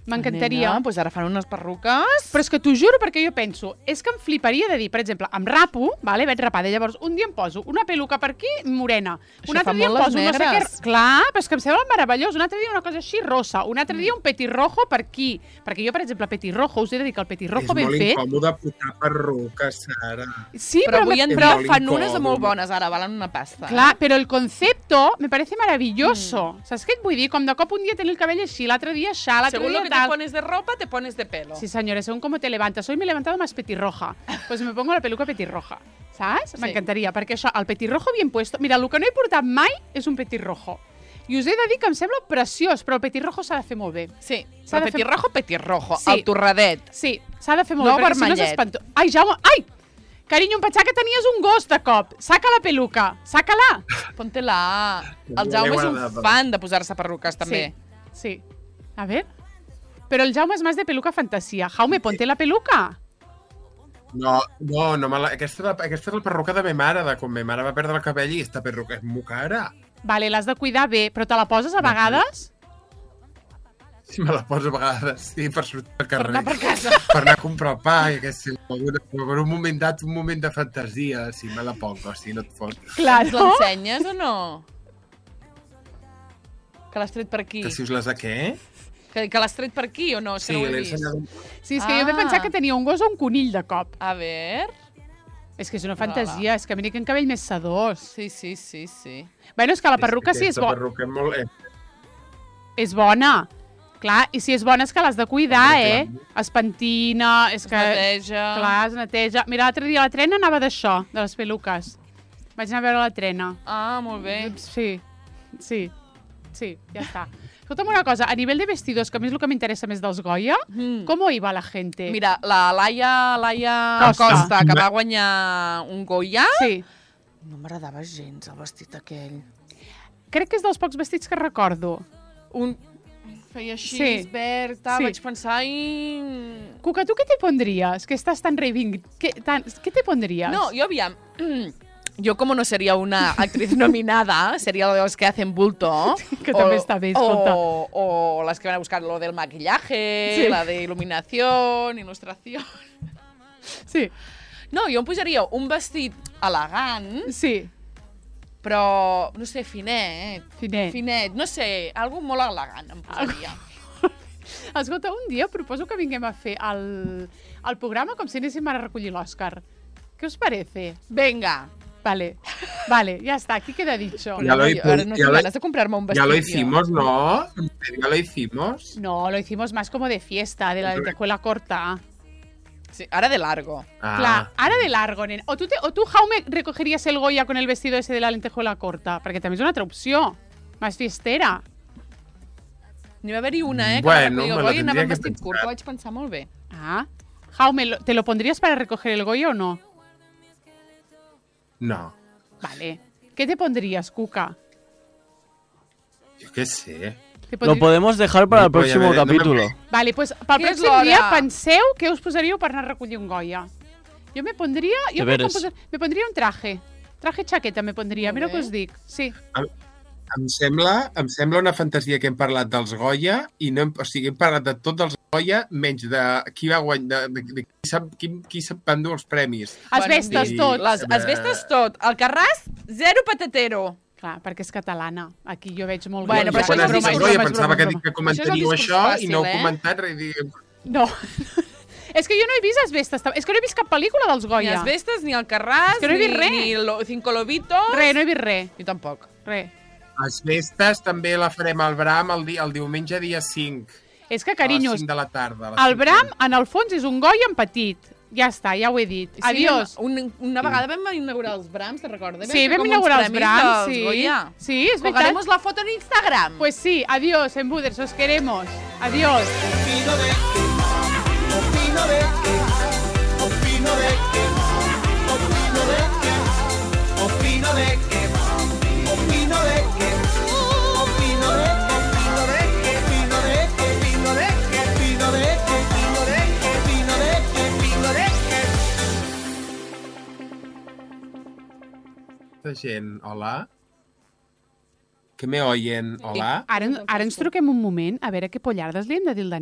[SPEAKER 1] M'encantaria.
[SPEAKER 3] Nena, doncs ara fan unes perruques.
[SPEAKER 1] Però és que t'ho juro perquè jo penso, és que em fliparia de dir, per exemple, em rapo, vale, veig rapada, llavors un dia em poso una peluca per aquí, morena. Un altre dia em poso no sé què... Clar, però és que em sembla meravellós. Un altre dia una cosa així rosa, un altre dia un petirrojo per aquí. Perquè jo, per exemple, petirrojo, us he de dir que el petirrojo ben fet...
[SPEAKER 2] És molt incòmode posar perruca, Sara.
[SPEAKER 1] Sí,
[SPEAKER 3] però avui en dia fan unes molt bones, ara, valen una pasta.
[SPEAKER 1] Clar, però el concepto me parece maravilloso. Saps què et vull dir? Com de cop un dia tenir el cabell així, l'altre dia això, l'altre dia tal...
[SPEAKER 3] te pones de ropa, te pones de pelo.
[SPEAKER 1] Sí, señores, según cómo te levantas. Hoy me he levantado más petirroja. Pues me pongo la peluca petirroja. ¿Sabes? Sí. M'encantaria, perquè això, el petirrojo bien puesto... Mira, el que no he portat mai és un petirrojo. I us he de dir que em sembla preciós, però el petirrojo s'ha de fer molt bé.
[SPEAKER 3] Sí, el petirrojo, el torradet.
[SPEAKER 1] Sí, s'ha de fer molt bé, perquè si no s'espanto... Ai, Jaume, ai! Carinyo, em pensava que tenies un gos de cop. Saca la peluca, saca-la.
[SPEAKER 3] Ponte-la. El Jaume és un fan de posar-se perruques, també.
[SPEAKER 1] Sí. A ver... Pero el Jaume es más de peluca fantasía. Jaume, ponte la peluca.
[SPEAKER 2] No, aquesta és la perruca de ma mare, de quan ma mare va perdre el cabell i aquesta perruca és molt cara.
[SPEAKER 1] Vale, l'has de cuidar bé, però te la poses a vegades?
[SPEAKER 2] Sí, me la poso a vegades, sí, per sortir al carrer.
[SPEAKER 3] Per anar per casa.
[SPEAKER 2] Per anar a comprar el pa, i per un moment de fantasia, sí, me la pongo, sí, no et fot.
[SPEAKER 1] Clar,
[SPEAKER 3] no? L'ensenyes o no? Que l'has tret per aquí.
[SPEAKER 2] Que si us les de què?
[SPEAKER 3] Que l'has tret per aquí o no?
[SPEAKER 2] Sí, l'he ensenyat.
[SPEAKER 1] Sí, és que jo he pensat que tenia un gos o un conill de cop.
[SPEAKER 3] A ver...
[SPEAKER 1] És que és una fantasia, és que mira que en cabell més sedós.
[SPEAKER 3] Sí.
[SPEAKER 1] Bueno, és que la perruca sí és bona.
[SPEAKER 2] La perruca és molt...
[SPEAKER 1] És bona. Clar, i si és bona és que l'has de cuidar, Es pentina, és que...
[SPEAKER 3] Es neteja.
[SPEAKER 1] Clar, es neteja. Mira, l'altre dia la Trena anava d'això, de les peluques. Vaig anar a veure la Trena.
[SPEAKER 3] Ah, molt bé.
[SPEAKER 1] Sí. Sí, ja està. Escolta'm una cosa, a nivell de vestidos, que a mi és el que m'interessa més dels Goya, com iba la gente?
[SPEAKER 3] Mira, la Laia Costa, que va guanyar un Goya, no m'agradava gens el vestit aquell.
[SPEAKER 1] Crec que és dels pocs vestits que recordo.
[SPEAKER 3] Feia així, verd, vaig pensar i...
[SPEAKER 1] Cuca, ¿tú qué te pondrías? Que estás tan ¿Qué te pondrías?
[SPEAKER 3] No, yo aviam... Yo, como no sería una actriz nominada, sería los que hacen bulto.
[SPEAKER 1] Que també està bé, escolta.
[SPEAKER 3] O las que van a buscar lo del maquillaje, la de iluminación, ilustración.
[SPEAKER 1] Sí.
[SPEAKER 3] No, jo em posaria un vestit elegant.
[SPEAKER 1] Sí.
[SPEAKER 3] Però, no sé, finet.
[SPEAKER 1] Finet.
[SPEAKER 3] No sé, algo molt elegant em posaria.
[SPEAKER 1] Escolta, un dia proposo que vinguem a fer el programa com si anéssim a recollir l'Òscar. ¿Qué os parece?
[SPEAKER 3] Venga.
[SPEAKER 1] Vale, ya está, aquí queda dicho.
[SPEAKER 3] Ahora no tengo ganas de comprarme un vestido.
[SPEAKER 2] Ya lo hicimos, ¿no? ¿Ya lo hicimos?
[SPEAKER 1] No, lo hicimos más como de fiesta, de la lentejuela corta.
[SPEAKER 3] Sí, ahora de largo.
[SPEAKER 1] Clar, ara de largo, nen. O tu, Jaume, recogeries el Goya con el vestido ese de la lentejuela corta? Perquè també és una altra opció. Més fiestera.
[SPEAKER 3] N'hi va haver-hi una, que
[SPEAKER 2] bueno,
[SPEAKER 3] va recollir el Goya i anava amb vestit curt, que vaig pensar molt bé.
[SPEAKER 1] Jaume, ¿te lo pondrías para recoger el Goya o no?
[SPEAKER 2] No.
[SPEAKER 1] Vale. ¿Qué te pondrías, Cuca?
[SPEAKER 2] Yo qué sé.
[SPEAKER 5] Lo podemos dejar para el próximo capítulo.
[SPEAKER 1] Vale, pues pel pròxim dia penseu què us posaríeu per anar a recollir un Goya. Jo me pondria... me pondria un traje. Traje chaqueta me pondria, mira què us dic. Sí.
[SPEAKER 2] Em sembla una fantasia que hem parlat dels Goya i no, o sigui, hem parlat de tots els Goya menys de qui va guanyar, qui sap endur els premis.
[SPEAKER 1] Els vestes tot.
[SPEAKER 3] Els vestes tot. El Carràs, zero patatero.
[SPEAKER 1] Clar, perquè és catalana. Aquí jo veig molt...
[SPEAKER 3] Bueno, però
[SPEAKER 2] això és Goya, pensava que comentaríeu això i no heu comentat res.
[SPEAKER 1] No. És que jo no he vist les vestes. És que no he vist cap pel·lícula dels Goya.
[SPEAKER 3] Ni les vestes, ni el Carràs, ni Cinco Lobitos.
[SPEAKER 1] Res, no he vist res.
[SPEAKER 3] Jo tampoc.
[SPEAKER 1] Res.
[SPEAKER 2] Les festes també la farem al Bram el diumenge dia 5.
[SPEAKER 1] És que, carinyos,
[SPEAKER 2] a les 5 de la tarda.
[SPEAKER 1] El Bram, en el fons, és un Goya en petit. Ja està, ja ho he dit.
[SPEAKER 3] Sí,
[SPEAKER 1] Adiós.
[SPEAKER 3] Una vegada vam inaugurar els Brams, te'n recordes?
[SPEAKER 1] Sí, vam inaugurar els Brams, sí. Sí, és veritat.
[SPEAKER 3] Colgaremos la foto en Instagram.
[SPEAKER 1] Pues sí, adiós, Embuders, os queremos. Adiós.
[SPEAKER 7] Opino de que, opino de que, opino de que, opino de que, opino de que, opino de que, opino de que, opino de que, opino de que, opino de que, opino de que, opino de que, opino de que, opino de que.
[SPEAKER 2] Esta gent, hola? Que me oyen, hola?
[SPEAKER 1] Ara ens truquem un moment a veure què pollardes li hem de dir al Dani.